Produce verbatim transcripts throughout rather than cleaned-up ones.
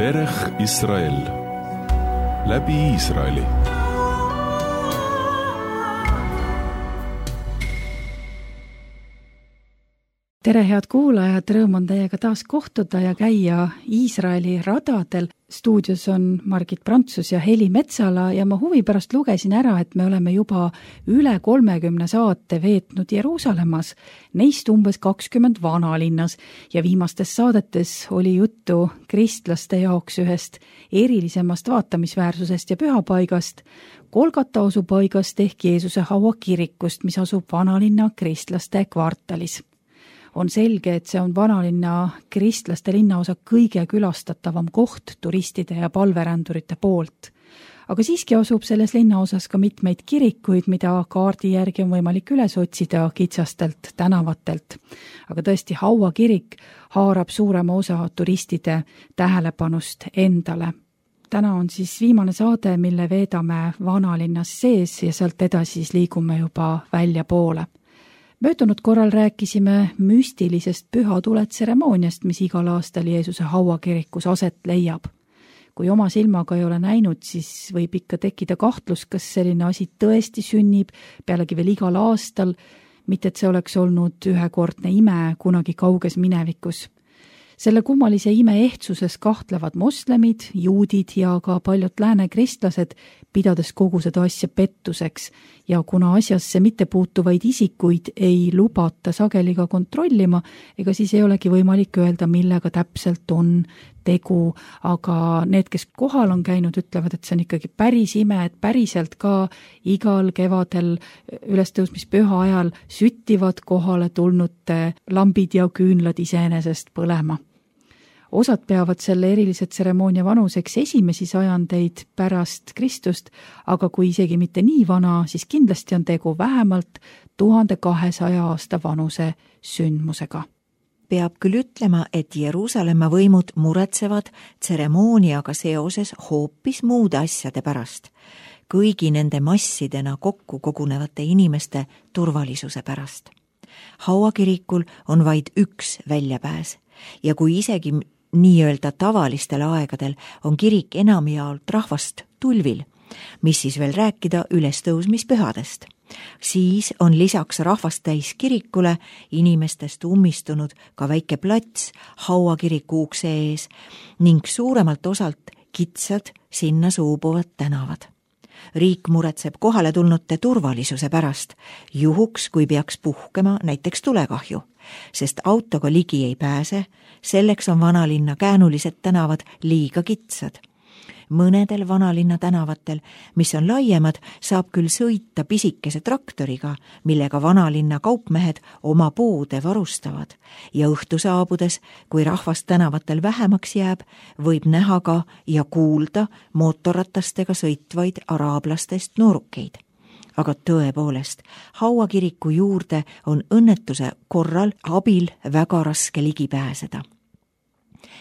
Derech Israel läbi Iisraeli. Tere, head kuulajad, rõõm on teiega taas kohtuda ja käia Iisraeli radadel. Stuudios on Margit Prantsus ja Heli Metsala ja ma huvi pärast lugesin ära, et me oleme juba üle kolmekümne saate veetnud Jeruusalemmas, neist umbes kakskümmend vanalinnas ja viimastes saadetes oli juttu kristlaste jaoks ühest erilisemast vaatamisväärsusest ja pühapaigast, Golgata asupaigast ehk Jeesuse haua kirikust, mis asub vanalinna kristlaste kvartalis. On selge, et see on vanalinna kristlaste linnaosa kõige külastatavam koht turistide ja palverändurite poolt. Aga siiski asub selles linnaosas ka mitmeid kirikuid, mida kaardi järgi on võimalik üles otsida kitsastelt tänavatelt. Aga tõesti, Haua kirik haarab suurema osa turistide tähelepanust endale. Täna on siis viimane saade, mille veedame vanalinnas sees ja sealt edasi siis liigume juba välja poole. Möödunud korral rääkisime müstilisest pühatuletseremooniast, mis igal aastal Jeesuse haua kirikus aset leiab. Kui oma silmaga ei ole näinud, siis võib ikka tekkida kahtlus, kas selline asi tõesti sünnib, pealegi veel igal aastal, mitte et see oleks olnud ühekordne ime kunagi kauges minevikus. Selle kummalise ime ehtsuses kahtlevad moslemid, juudid ja ka paljud lääne kristlased, pidades kogu seda asja pettuseks ja kuna asjasse mitte puutuvaid isikuid ei lubata sageli ka kontrollima, ega siis ei olegi võimalik öelda, millega täpselt on tegu, aga need, kes kohal on käinud, ütlevad, et see on ikkagi päris ime, et päriselt ka igal kevadel ülestõusmispüha ajal süttivad kohale tulnute lambid ja küünlad iseenesest põlema. Osad peavad selle erilise tseremoonia vanuseks esimesi sajandeid pärast Kristust, aga kui isegi mitte nii vana, siis kindlasti on tegu vähemalt tuhande kahesaja aasta vanuse sündmusega. Peab küll ütlema, et Jeruusalemma võimud muretsevad tseremooniaga seoses hoopis muude asjade pärast, kõigi nende massidena kokku kogunevate inimeste turvalisuse pärast. Haua kirikul on vaid üks väljapääs ja kui isegi nii-öelda tavalistel aegadel on kirik enamjaolt rahvast tulvil, mis siis veel rääkida ülestõusmispühadest. Siis on lisaks rahvast täis kirikule inimestest ummistunud ka väike plats Haua kiriku ukse ees ning suuremalt osalt kitsad sinna suubuvad tänavad. Riik muretseb kohale tulnute turvalisuse pärast, juhuks kui peaks puhkema näiteks tulekahju, sest autoga ligi ei pääse, selleks on vanalinna käänulised tänavad liiga kitsad. Mõnedel vanalinna tänavatel, mis on laiemad, saab küll sõita pisikese traktoriga, millega vanalinna kaupmehed oma poode varustavad ja õhtu saabudes, kui rahvast tänavatel vähemaks jääb, võib näha ka ja kuulda mootorratastega sõitvaid araablastest noorukeid. Aga tõepoolest, Haua kiriku juurde on õnnetuse korral abil väga raske ligi pääseda.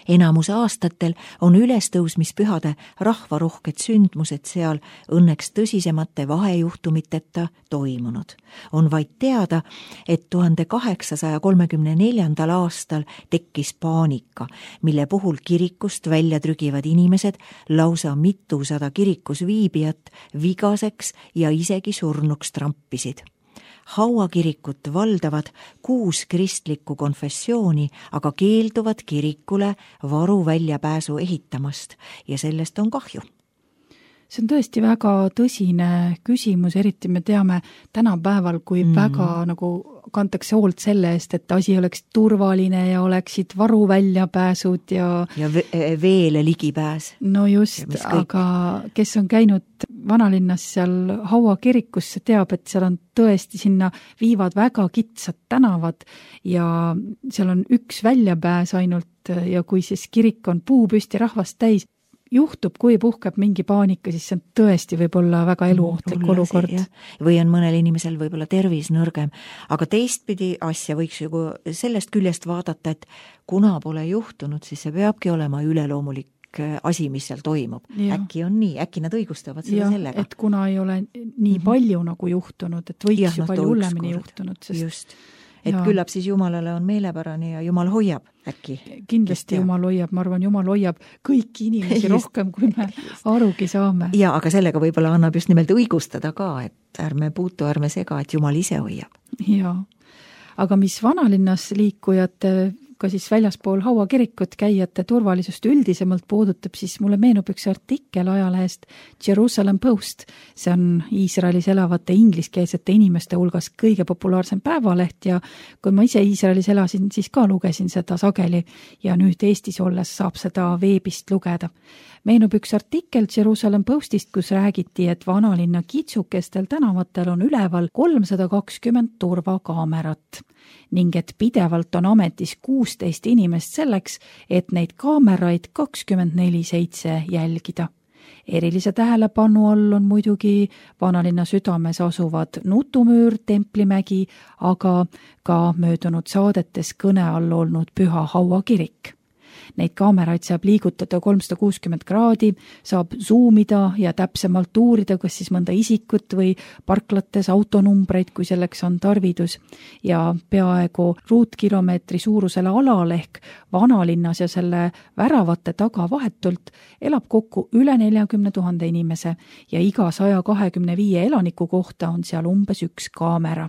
Enamus aastatel on ülestõusmispühade rahvarohked sündmused seal õnneks tõsisemate vahejuhtumiteta toimunud. On vaid teada, et tuhande kaheksasaja kolmekümne neljandal aastal tekkis paanika, mille puhul kirikust välja trügivad inimesed lausa mitusada kirikus viibijat vigaseks ja isegi surnuks trampisid. Haua kirikut valdavad kuus kristlikku konfessiooni, aga keelduvad kirikule varu väljapääsu ehitamast ja sellest on kahju. See on tõesti väga tõsine küsimus, eriti me teame tänapäeval, kui mm. väga nagu kantakse hoolt selle eest, et asi oleks turvaline ja oleksid varu väljapääsud ja... Ja veele ligipääs. No just, aga kes on käinud vanalinnas seal Haua kirikus, see teab, et seal on tõesti sinna viivad väga kitsad tänavad ja seal on üks väljapääs ainult ja kui siis kirik on puupüsti rahvast täis, juhtub, kui puhkeb mingi paanika, siis see on tõesti võib-olla väga eluohtlik mm, olukord. Või on mõnel inimesel võib-olla tervis nõrgem, aga teistpidi asja võiks ju sellest küljest vaadata, et kuna pole juhtunud, siis see peabki olema üleloomulik asi, mis seal toimub. Ja. Äkki on nii, äkki nad õigustavad seda ja, sellega. Et kuna ei ole nii palju mm-hmm. nagu juhtunud, et võiks ja, ju palju hullemini juhtunud. Sest... Just, et ja. Küllap siis Jumalale on meelepärane ja Jumal hoiab. äkki. Kindlasti Jumal hoiab, ma arvan, Jumal hoiab kõiki inimesi just, rohkem, kui me just. arugi saame. Ja, aga sellega võib-olla annab just nimelt õigustada ka, et ärme puutu, ärme sega, et Jumal ise hoiab. Jaa, aga mis vanalinnas liikujate ka siis väljaspool Haua kirikut käijate turvalisust üldisemalt puudutab, siis mulle meenub üks artikkel ajalehest Jerusalem Post. See on Iisraelis elavate ingliskeelsete inimeste hulgas kõige populaarsem päevaleht ja kui ma ise Iisraelis elasin, siis ka lugesin seda sageli ja nüüd Eestis olles saab seda veebist lugeda. Meenub üks artikkel Jerusalem Postist, kus räägiti, et vanalinna kitsukestel tänavatel on üleval kolmsada kakskümmend turvakaamerat ning et pidevalt on ametis kuusteist inimest selleks, et neid kaameraid kakskümmend neli seitse jälgida. Erilise tähelepanu all on muidugi vanalinna südames asuvad Nutumüür, Templimägi, aga ka möödunud saadetes kõne all olnud Püha Haua kirik. Neid kaameraid saab liigutada kolmsada kuuskümmend kraadi, saab zoomida ja täpsemalt uurida, kas siis mõnda isikut või parklates autonumbreid, kui selleks on tarvidus. Ja peaaegu ruutkilomeetri suurusele alal ehk vanalinnas ja selle väravate taga vahetult elab kokku üle neljakümne tuhande inimese ja iga saja kahekümne viie elaniku kohta on seal umbes üks kaamera.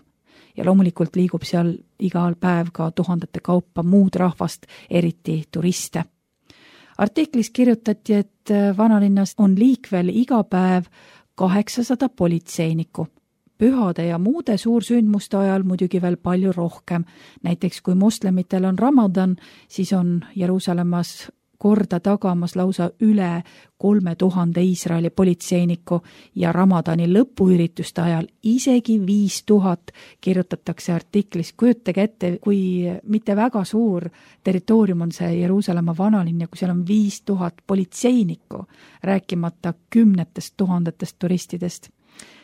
Ja loomulikult liigub seal igal päev ka tuhandete kaupa muud rahvast, eriti turiste. Artiklis kirjutati, et vanalinnas on liikvel iga päev kaheksasada politseinikku. Pühade ja muude suursündmuste ajal muidugi veel palju rohkem. Näiteks kui moslemitel on Ramadan, siis on Jeruusalemmas korda tagamas lausa üle kolme tuhande Iisraeli politseiniku ja Ramadani lõpuürituste ajal isegi viis tuhat kirjutatakse artiklis. Kujutage ette, kui mitte väga suur territoorium on see Jeruusalemma vanalinn ja kui seal on viis tuhat politseinikku, rääkimata kümnetest tuhandetest turistidest.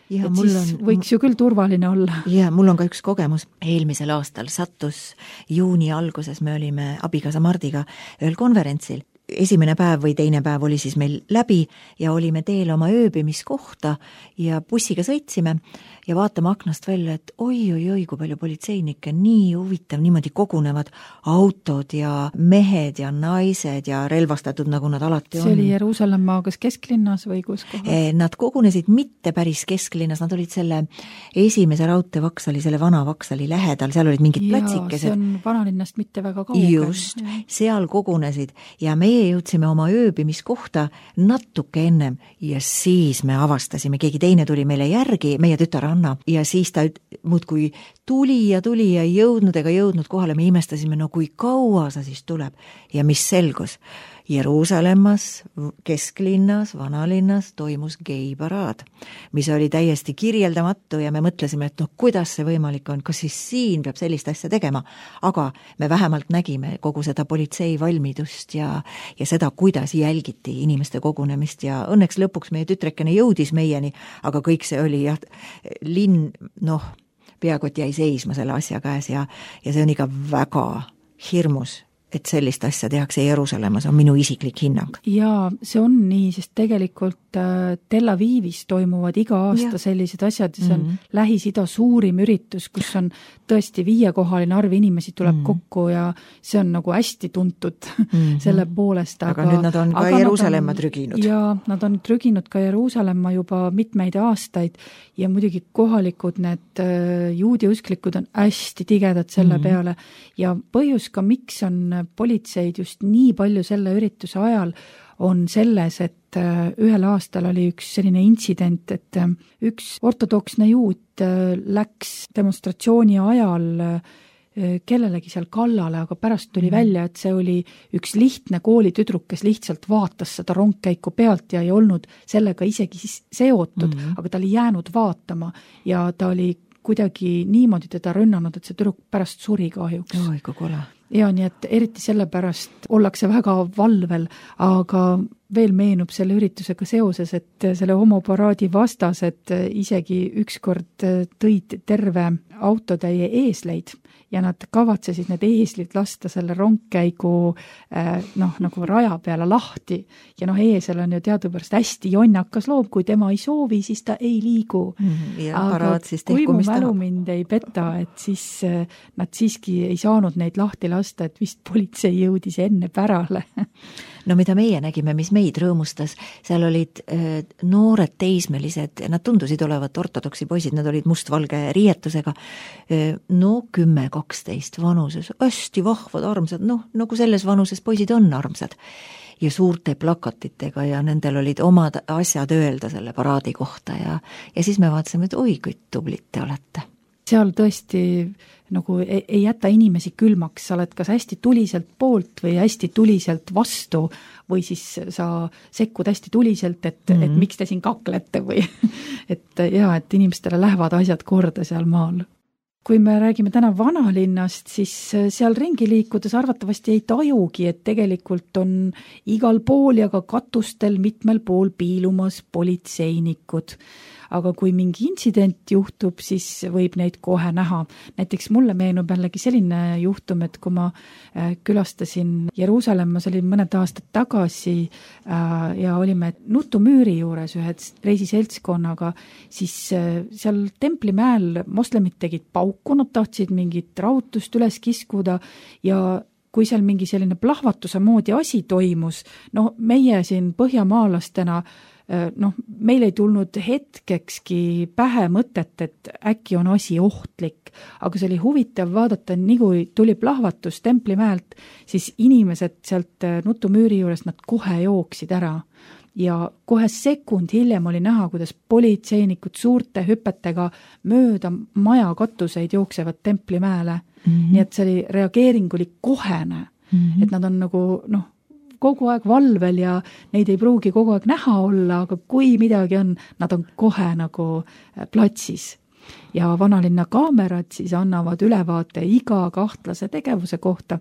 Ja, mul on, võiks ju küll turvaline olla. Ja, mul on ka üks kogemus. Eelmisel aastal sattus juuni alguses, me olime abikaasa Mardiga ühel konverentsil. Esimene päev või teine päev oli siis meil läbi ja olime teel oma ööbimiskohta ja bussiga sõitsime ja vaatame aknast välja, et oi, oi, oi, kui palju politseinikke, nii huvitav, niimoodi kogunevad autod ja mehed ja naised ja relvastatud, nagu nad alati on. See oli Jeruusalemma kas kesklinnas või kus kohal? Nad kogunesid mitte päris kesklinnas, nad olid selle esimese raudteevaksali, selle vana vaksali lähedal, seal olid mingid platsikesed. See on vanalinnast mitte väga kaugel. Just, ja. Seal kogunesid ja meie jõudsime oma ööbimiskohta natuke ennem ja siis me avastasime, keegi teine tuli meile järgi, meie tütar Anna, ja siis ta muudkui tuli ja tuli ja jõudnud ega jõudnud kohale, me imestasime, no kui kaua sa siis tuleb ja mis selgus. Jeruusalemmas, kesklinnas, vanalinnas toimus geiparaad, mis oli täiesti kirjeldamatu ja me mõtlesime, et noh, kuidas see võimalik on, kas siis siin peab sellist asja tegema, aga me vähemalt nägime kogu seda politsei valmidust ja, ja seda, kuidas jälgiti inimeste kogunemist ja õnneks lõpuks meie tütrekene jõudis meieni, aga kõik see oli jah, linn, noh, peakott jäi seisma selle asja käes ja, ja see on ikka väga hirmus, et sellist asja tehakse Jeruusalemmas, on minu isiklik hinnang. Jaa, see on nii, sest tegelikult Tel Avivis toimuvad iga aasta ja. Sellised asjad, see on mm-hmm. Lähis-Ida suurim üritus, kus on tõesti viiekohaline arv inimesi tuleb mm-hmm. kokku ja see on nagu hästi tuntud mm-hmm. selle poolest. Aga, aga nüüd nad on ka Jeruusalemma on, trüginud. Jaa, nad on trüginud ka Jeruusalemma juba mitmeid aastaid ja muidugi kohalikud need juudi usklikud on hästi tigedad selle mm-hmm. peale ja põhjus ka, miks on politseid just nii palju selle ürituse ajal on selles, et ühel aastal oli üks selline intsident, et üks ortodoksne juut läks demonstratsiooni ajal kellelegi seal kallale, aga pärast tuli välja, et see oli üks lihtne koolitüdruk, kes lihtsalt vaatas seda rongkäiku pealt ja ei olnud sellega isegi seotud, mm-hmm. aga ta oli jäänud vaatama ja ta oli kuidagi niimoodi teda rünnanud, et see tüdruk pärast suri kahjuks. Oi, kui kole. Ja nii, et eriti sellepärast ollakse väga valvel, aga veel meenub selle üritusega seoses, et selle homoparaadi vastased isegi ükskord tõid terve autotäie eesleid ja nad kavatsesid need eeslid lasta selle rongkäigu noh, nagu raja peale lahti. Ja noh, eesel on ju teadupärast hästi jonnakas loom, kui tema ei soovi, siis ta ei liigu. Ja aga siis kui mu tehkumist mälu tahab. mind ei peta, et siis nad siiski ei saanud neid lahti lasta, et vist politsei jõudis enne pärale. No mida meie nägime, mis meid rõõmustas, seal olid äh, noored teismelised, nad tundusid olevat ortodoksi poisid, nad olid mustvalge riietusega, äh, no kümme, kaksteist vanuses, hästi vahvad, armsad, noh, nagu selles vanuses poisid on armsad. Ja suurte plakatitega ja nendel olid omad asjad öelda selle paraadi kohta ja, ja siis me vaatasime, et oi, kui tublid te olete. Seal tõesti nagu ei, ei jäta inimesi külmaks, sa oled kas hästi tuliselt poolt või hästi tuliselt vastu või siis sa sekkud hästi tuliselt, et, mm-hmm. et miks te siin kaklete või et jaa, et inimestele lähevad asjad korda seal maal. Kui me räägime täna vanalinnast, siis seal ringi liikudes arvatavasti ei tajugi, et tegelikult on igal pool ja ka katustel mitmel pool piilumas politseinikud. Aga kui mingi intsident juhtub, siis võib neid kohe näha. Näiteks mulle meenub jällegi selline juhtum, et kui ma külastasin Jeruusalemmas, oli mõned aastad tagasi ja olime Nutumüüri juures ühe reisiseltskonnaga, siis seal Templimäel moslemid tegid pauku, nad tahtsid mingit rautust üles kiskuda ja kui seal mingi selline plahvatuse moodi asi toimus, no meie siin põhjamaalastena noh, meil ei tulnud hetkekski pähe mõtet, et äkki on asi ohtlik, aga see oli huvitav vaadata, nii kui tuli plahvatus Templimäelt, siis inimesed sealt Nutumüüri juures, nad kohe jooksid ära ja kohe sekund hiljem oli näha, kuidas politseinikud suurte hüpetega mööda maja katuseid jooksevad Templimäele, mm-hmm. nii et see oli, reageering oli kohene, mm-hmm. et nad on nagu noh, kogu aeg valvel ja neid ei pruugi kogu aeg näha olla, aga kui midagi on, nad on kohe nagu platsis. Ja vanalinna kaamerad siis annavad ülevaate iga kahtlase tegevuse kohta,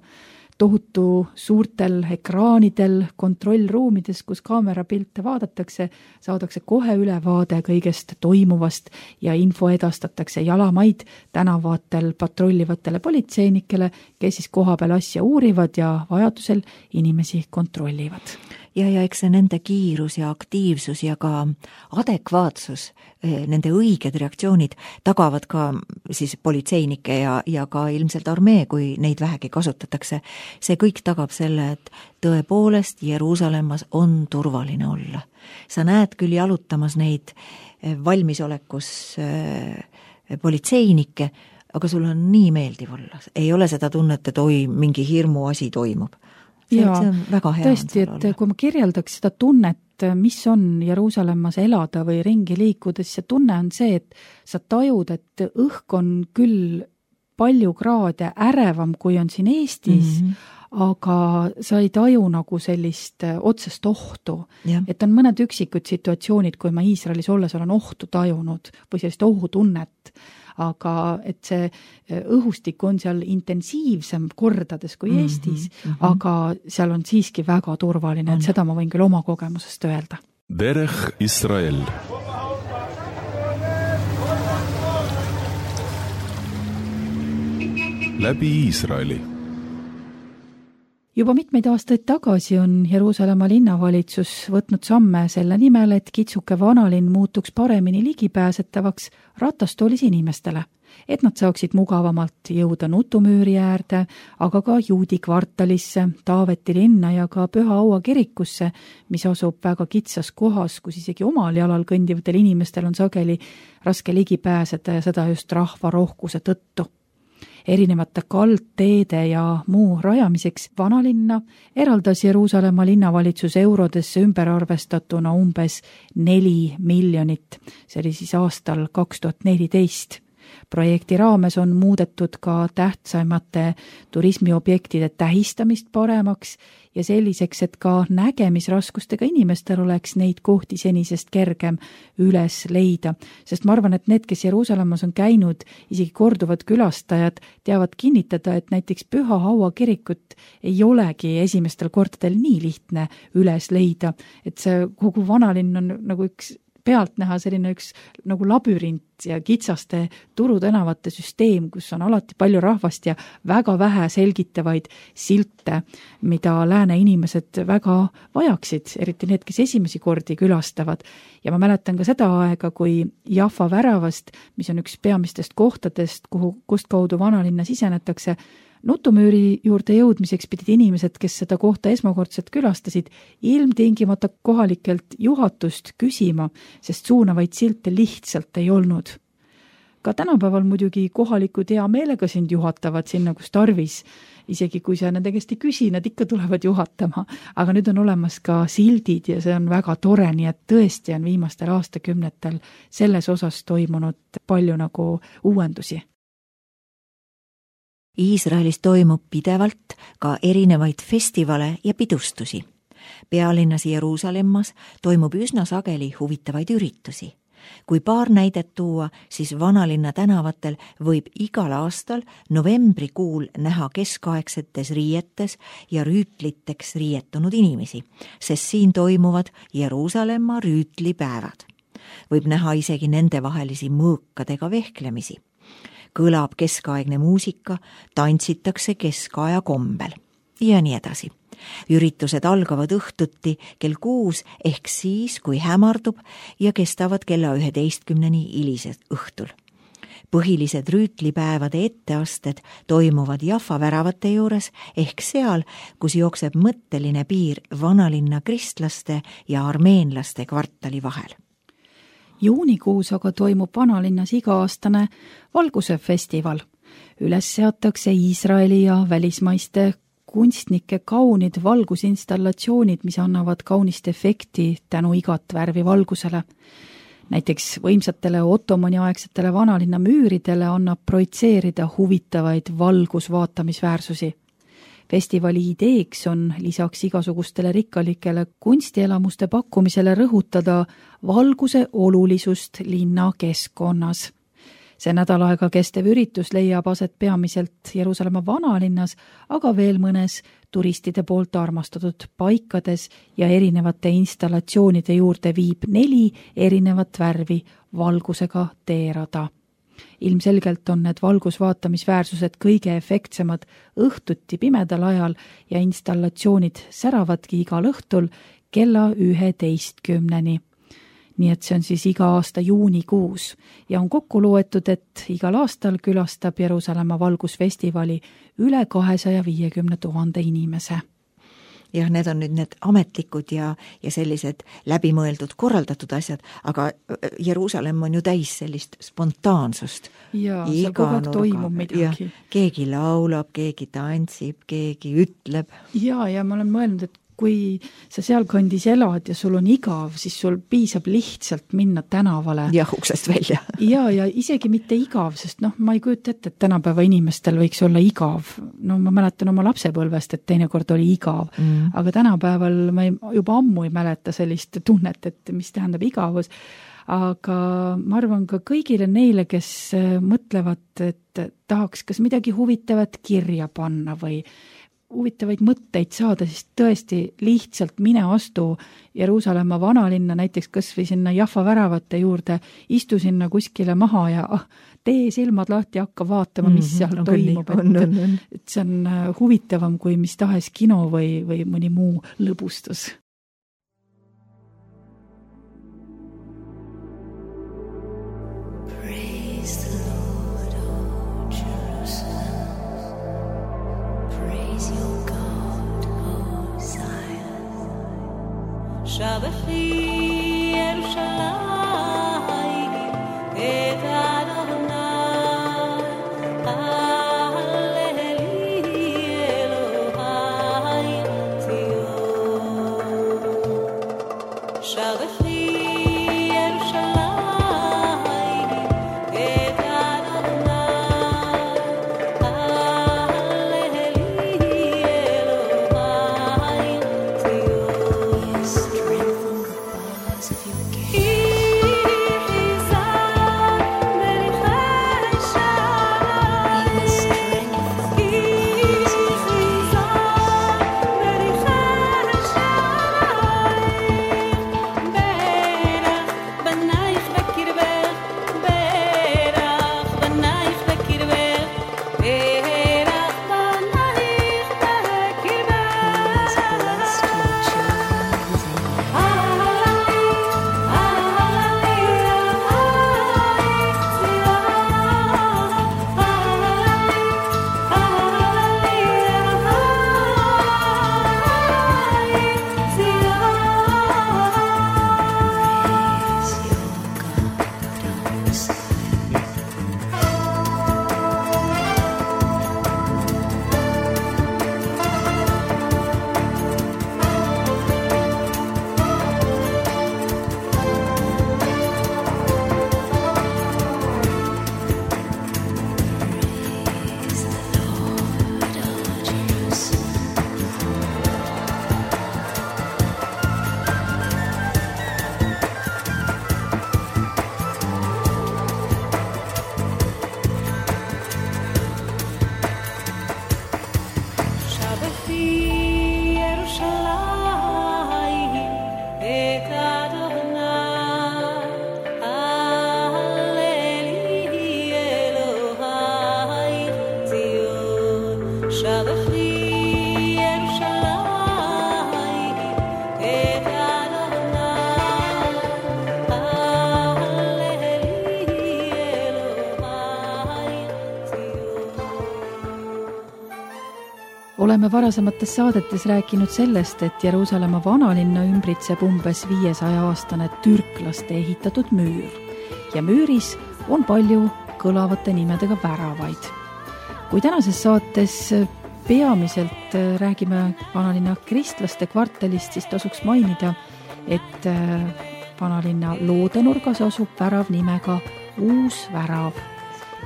tohutu suurtel ekraanidel, kontrollruumides, kus kaamerapilte vaadatakse, saadakse kohe ülevaade kõigest toimuvast ja info edastatakse jalamaid tänavatel patrollivatele politseinikele, kes siis kohapeal asja uurivad ja vajadusel inimesi kontrollivad. Ja, ja eks see nende kiirus ja aktiivsus ja ka adekvaatsus, nende õiged reaktsioonid tagavad ka siis politseinike ja, ja ka ilmselt armee, kui neid vähegi kasutatakse. See kõik tagab selle, et tõepoolest Jeruusalemmas on turvaline olla. Sa näed küll jalutamas neid valmisolekus politseinikke, aga sul on nii meeldiv olla. Ei ole seda tunnet, et oi, mingi hirmu asi toimub. See, ja, see on väga hea. Tõesti, et olla. Kui ma kirjeldaks seda tunnet, mis on Jeruusalemmas elada või ringi liikudes, see tunne on see, et sa tajud, et õhk on küll palju kraade ärevam, kui on siin Eestis, mm-hmm. aga sa ei taju nagu sellist otsest ohtu. Ja. Et on mõned üksikud situatsioonid, kui ma Iisraelis olles olen ohtu tajunud või sellist ohutunnet, aga et see õhustik on seal intensiivsem kordades kui Eestis, mm-hmm. aga seal on siiski väga turvaline, et seda ma võin küll oma kogemusest öelda. Derech Israel. Läbi Iisraeli. Juba mitmeid aastaid tagasi on Jeruusalemma linnavalitsus võtnud samme selle nimel, et kitsuke vanalinn muutuks paremini ligipääsetavaks ratastoolis inimestele, et nad saaksid mugavamalt jõuda Nutumüüri äärde, aga ka Juudi kvartalisse, Taaveti linna ja ka Püha Aua kirikusse, mis asub väga kitsas kohas, kus isegi omal jalal kõndivatel inimestel on sageli raske ligi pääseda ja seda just rahva rohkuse tõttu. Erinevate kaldteede ja muu rajamiseks vanalinna eraldas Jeruusalemma linnavalitsus eurodesse ümberarvestatuna umbes neli miljonit. See oli siis aastal kaks tuhat neliteist. projekti raames on muudetud ka tähtsaimate turismiobjektide tähistamist paremaks ja selliseks, et ka nägemisraskustega inimestel oleks neid kohti senisest kergem üles leida. Sest ma arvan, et need, kes Jeruusalemmas on käinud, isegi korduvad külastajad, teavad kinnitada, et näiteks Püha Haua kirikut ei olegi esimestel kordadel nii lihtne üles leida, et see kogu vanalinn on nagu üks pealt näha selline üks nagu labürint ja kitsaste turutänavate süsteem, kus on alati palju rahvast ja väga vähe selgitavaid silte, mida lääne inimesed väga vajaksid, eriti need, kes esimesi kordi külastavad. Ja ma mäletan ka seda aega, kui Jaffa väravast, mis on üks peamistest kohtadest, kuhu, kust kaudu vanalinna sisenetakse, nutumüüri juurde jõudmiseks pidid inimesed, kes seda kohta esmakordselt külastasid, ilmtingimata kohalikelt juhatust küsima, sest suunavaid silte lihtsalt ei olnud. Ka tänapäeval muidugi kohalikud hea meelega sind juhatavad sinna, kus tarvis. Isegi kui sa nende käest ei küsi, nad ikka tulevad juhatama. Aga nüüd on olemas ka sildid ja see on väga tore, nii et tõesti on viimastel aastakümnetel selles osas toimunud palju nagu uuendusi. Iisraelis toimub pidevalt ka erinevaid festivale ja pidustusi. Pealinnas Jeruusalemmas toimub üsna sageli huvitavaid üritusi. Kui paar näidet tuua, siis vanalinna tänavatel võib igal aastal novembrikuul näha keskaegsetes riietes ja rüütliteks riietunud inimesi, sest siin toimuvad Jeruusalemma rüütlipäevad. Võib näha isegi nende vahelisi mõõkadega vehklemisi. Kõlab keskaegne muusika, tantsitakse keskaja kombel ja nii edasi. Üritused algavad õhtuti kell kuus ehk siis, kui hämardub ja kestavad kella üheteistkümneni hilised õhtul. Põhilised rüütlipäevade etteasted toimuvad Jaffa väravate juures ehk seal, kus jookseb mõtteline piir vanalinna kristlaste ja armeenlaste kvartali vahel. Juunikuus aga toimub vanalinnas iga-aastane valguse festival. Üles seatakse Iisraeli ja välismaiste kunstnike kaunid valgusinstallatsioonid, mis annavad kaunist efekti tänu igat värvi valgusele. Näiteks võimsatele ottomaniaegsetele vanalinna müüridele annab projitseerida huvitavaid valgusvaatamisväärsusi. Festivali ideeks on lisaks igasugustele rikkalikele kunstielamuste pakkumisele rõhutada valguse olulisust linna keskkonnas. See nädal aega kestev üritus leiab aset peamiselt Jeruusalemma vanalinnas, aga veel mõnes turistide poolt armastatud paikades ja erinevate installatsioonide juurde viib neli erinevat värvi valgusega teerada. Ilmselgelt on need valgusvaatamisväärsused kõige efektsemad õhtuti pimedal ajal ja installatsioonid säravadki igal õhtul kella üheteistkümneni. Nii et see on siis iga aasta juunikuus ja on kokku loetud, et igal aastal külastab Jeruusalemma valgusfestivali üle kahesaja viiekümne tuhande inimese. Jah, need on nüüd need ametlikud ja, ja sellised läbimõeldud korraldatud asjad, aga Jeruusalemm on ju täis sellist spontaansust. Ja, seal kogu aeg toimub midagi. Ja, keegi laulab, keegi tantsib, keegi ütleb. Ja, ja ma olen mõelnud, et kui sa seal kandis elad ja sul on igav, siis sul piisab lihtsalt minna tänavale. Ja uksest välja. ja, ja isegi mitte igav, sest noh, ma ei kujuta ette, et tänapäeva inimestel võiks olla igav. No ma mäletan oma lapsepõlvest, et teinekord oli igav. Mm. Aga tänapäeval ma ei, juba ammu ei mäleta sellist tunnet, et mis tähendab igavus. Aga ma arvan ka kõigile neile, kes mõtlevad, et tahaks kas midagi huvitavat kirja panna või huvitavaid mõtteid saada, siis tõesti lihtsalt mine astu Jeruusalemma vanalinna, näiteks kas või sinna Jaffa väravate juurde, istu sinna kuskile maha ja ah, tee silmad lahti, hakka vaatama, mis seal mm-hmm, toimub. On, on, on. Et, et see on huvitavam kui mis tahes kino või, või mõni muu lõbustus. Shabbachi Yerushalayim et Adonai Halleli Elohim Zion Shabbachi Yerushalayim et Adonai Oleme varasemates saadetes rääkinud sellest, et Jeruusalemma vanalinna ümbritseb umbes viiesaja aastane türklaste ehitatud müür ja müüris on palju kõlavate nimedega väravaid. Kui tänases saates peamiselt räägime vanalinna kristlaste kvartalist, siis tasuks mainida, et vanalinna loodenurgas asub värav nimega Uus värav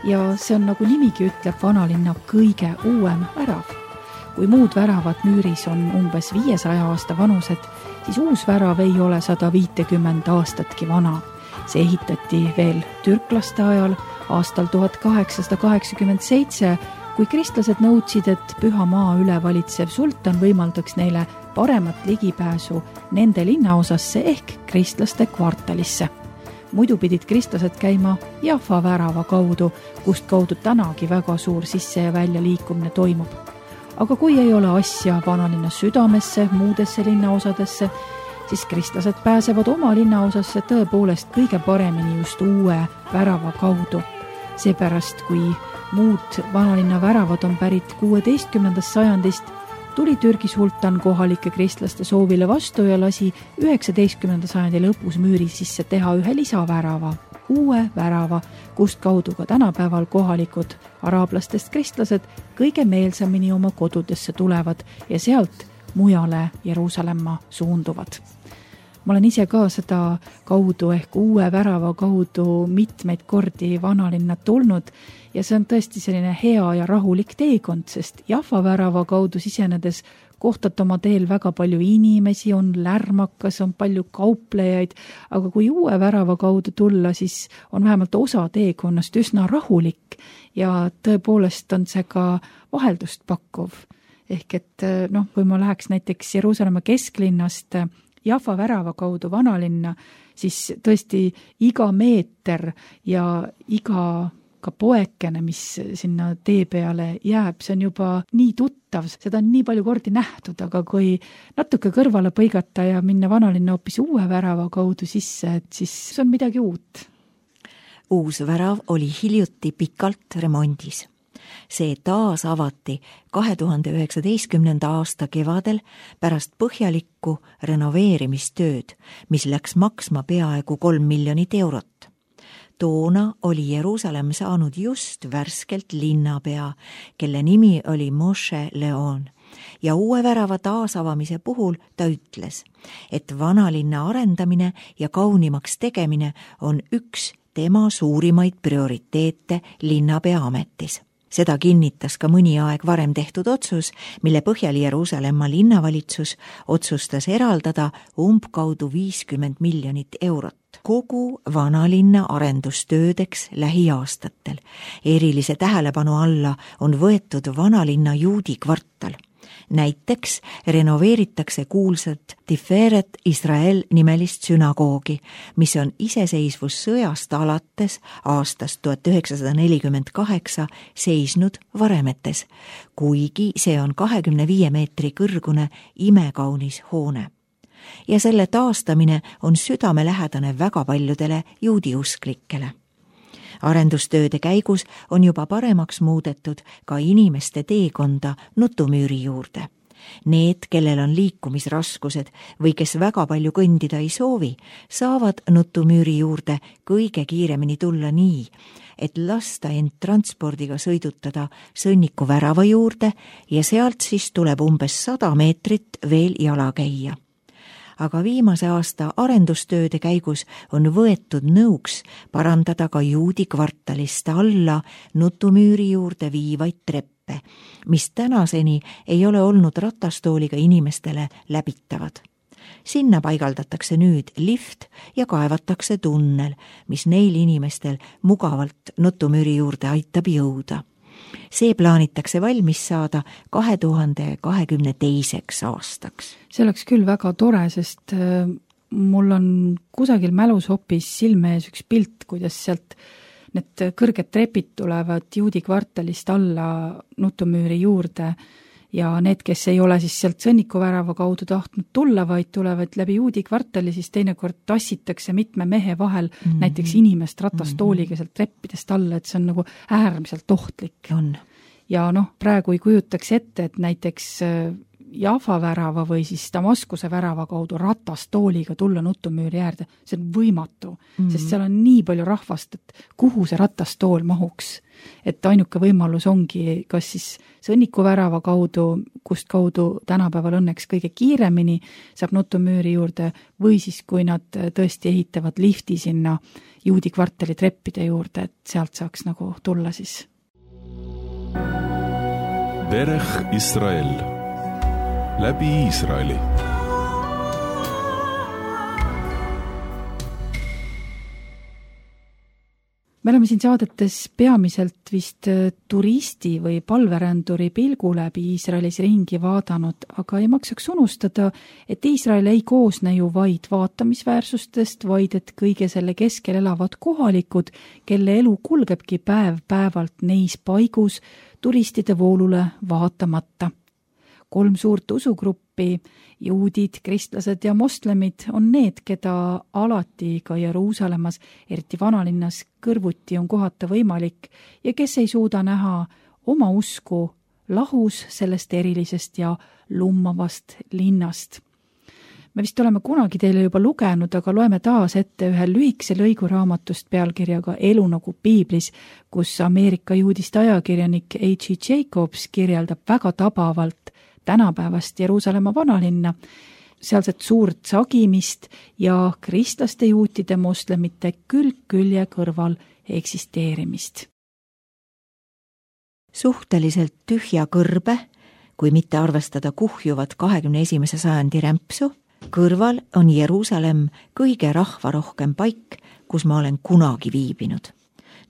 ja see on, nagu nimigi ütleb, vanalinna kõige uuem värav. Kui muud väravad müüris on umbes viiesaja aasta vanused, siis uus värav ei ole sada viitekümmend aastatki vana. See ehitati veel türklaste ajal aastal tuhat kaheksasada kaheksakümmend seitse, kui kristlased nõudsid, et püha maa üle valitsev sultan võimaldaks neile paremat ligipääsu nende linnaosasse ehk kristlaste kvartalisse. Muidu pidid kristlased käima Jaffa värava kaudu, kust kaudu tänagi väga suur sisse ja välja liikumine toimub. Aga kui ei ole asja vanalinna südamesse, muudesse linnaosadesse, siis kristlased pääsevad oma linnaosasse tõepoolest kõige paremini just uue värava kaudu. Seepärast, kui muud vanalinna väravad on pärit kuueteistkümnendast sajandist, tuli Türgi sultan kohalike kristlaste soovile vastu ja lasi üheksateistkümnenda sajandi lõpus müüri sisse teha ühe lisavärava, uue värava, kust kaudu ka tänapäeval kohalikud araablastest kristlased kõige meelsamini oma kodudesse tulevad ja sealt mujale Jeruusalemma suunduvad. Ma olen ise ka seda kaudu ehk uue värava kaudu mitmeid kordi vanalinna tulnud ja see on tõesti selline hea ja rahulik teekond, sest Jaffa värava kaudu sisenedes kohtad oma teel väga palju inimesi, on lärmakas, on palju kauplejaid, aga kui uue värava kaudu tulla, siis on vähemalt osa teekonnast üsna rahulik ja tõepoolest on see ka vaheldust pakkuv. Ehk et noh, kui ma läheks näiteks Jeruusalemma kesklinnast Jaffa värava kaudu vanalinna, siis tõesti iga meeter ja iga ka poekene, mis sinna tee peale jääb, see on juba nii tuttav, seda on nii palju kordi nähtud, aga kui natuke kõrvale põigata ja minna vanalinna hoopis uue värava kaudu sisse, et siis see on midagi uut. Uus värav oli hiljuti pikalt remondis. See taas avati kahe tuhande üheksateistkümnenda aasta kevadel pärast põhjalikku renoveerimistööd, mis läks maksma peaaegu kolm miljonit eurot. Toona oli Jeruusalemm saanud just värskelt linnapea, kelle nimi oli Moshe Leon. Ja uue värava taasavamise puhul ta ütles, et vanalinna arendamine ja kaunimaks tegemine on üks tema suurimaid prioriteete linnapea ametis. Seda kinnitas ka mõni aeg varem tehtud otsus, mille põhjal Jeruusalemma linnavalitsus otsustas eraldada umbkaudu viiskümmend miljonit eurot kogu vanalinna arendustöödeks lähiaastatel. Erilise tähelepanu alla on võetud vanalinna juudi kvartal. Näiteks renoveeritakse kuulsat Tiferet Israel nimelist sünagoogi, mis on iseseisvussõjast alates aastast tuhat üheksasada nelikümmend kaheksa seisnud varemetes, kuigi see on kahekümne viie meetri kõrgune imekaunis hoone. Ja selle taastamine on südamelähedane väga paljudele juudiusklikele. Arendustööde käigus on juba paremaks muudetud ka inimeste teekonda nutumüüri juurde. Need, kellel on liikumisraskused või kes väga palju kõndida ei soovi, saavad nutumüüri juurde kõige kiiremini tulla nii, et lasta end transpordiga sõidutada sõnniku värava juurde ja sealt siis tuleb umbes sada meetrit veel jala käia. Aga viimase aasta arendustööde käigus on võetud nõuks parandada ka juudi kvartalist alla nutumüüri juurde viivaid treppe, mis tänaseni ei ole olnud ratastooliga inimestele läbitavad. Sinna paigaldatakse nüüd lift ja kaevatakse tunnel, mis neil inimestel mugavalt nutumüüri juurde aitab jõuda. See plaanitakse valmis saada kahe tuhande kahekümne teiseks aastaks. See oleks küll väga tore, sest mul on kusagil mälus hoopis silme ees üks pilt, kuidas sealt need kõrged trepid tulevad juudi kvartalist alla nutumüüri juurde ja need, kes ei ole siis sealt sõnnikuvärava kaudu tahtnud tulla, vaid tulevad läbi juudi kvartali, siis teinekord tassitakse mitme mehe vahel mm-hmm. näiteks inimest ratastooliga sealt treppidest alla, et see on nagu äärmiselt ohtlik. On. Ja noh, praegu ei kujutaks ette, et näiteks Jaffa värava või siis Damaskuse värava kaudu ratastooliga tulla nutumüüri äärde. See on võimatu, mm-hmm. sest seal on nii palju rahvast, et kuhu see ratastool mahuks. Et ainuke võimalus ongi kas siis sõnniku värava kaudu, kust kaudu tänapäeval õnneks kõige kiiremini saab nutumüüri juurde või siis kui nad tõesti ehitavad lifti sinna juudi kvartali treppide juurde, et sealt saaks nagu tulla siis. Derech Israel. Läbi Iisraeli. Me oleme siin saadetes peamiselt vist turisti või palveränduri pilgu läbi Iisraelis ringi vaadanud, aga ei maksaks unustada, et Iisrael ei koosne ju vaid vaatamisväärsustest, vaid et kõige selle keskel elavad kohalikud, kelle elu kulgebki päev päevalt neis paigus turistide voolule vaatamata. Kolm suurt usugruppi, juudid, kristlased ja moslemid on need, keda alati ka Jeruusalemmas, eriti vanalinnas kõrvuti on kohata võimalik ja kes ei suuda näha oma usku lahus sellest erilisest ja lummavast linnast. Me vist oleme kunagi teile juba lugenud, aga loeme taas ette ühe lühikese lõigu raamatust pealkirjaga Elu nagu piiblis, kus Ameerika juudist ajakirjanik H E Jacobs kirjeldab väga tabavalt tänapäevast Jeruusalemma vanalinna, sealset suurt sagimist ja kristlaste, juutide, moslemite külg külje kõrval eksisteerimist. Suhteliselt tühja kõrbe, kui mitte arvestada kuhjuvat kahekümne esimese sajandi rämpsu, kõrval on Jeruusalemm kõige rahvarohkem paik, kus ma olen kunagi viibinud.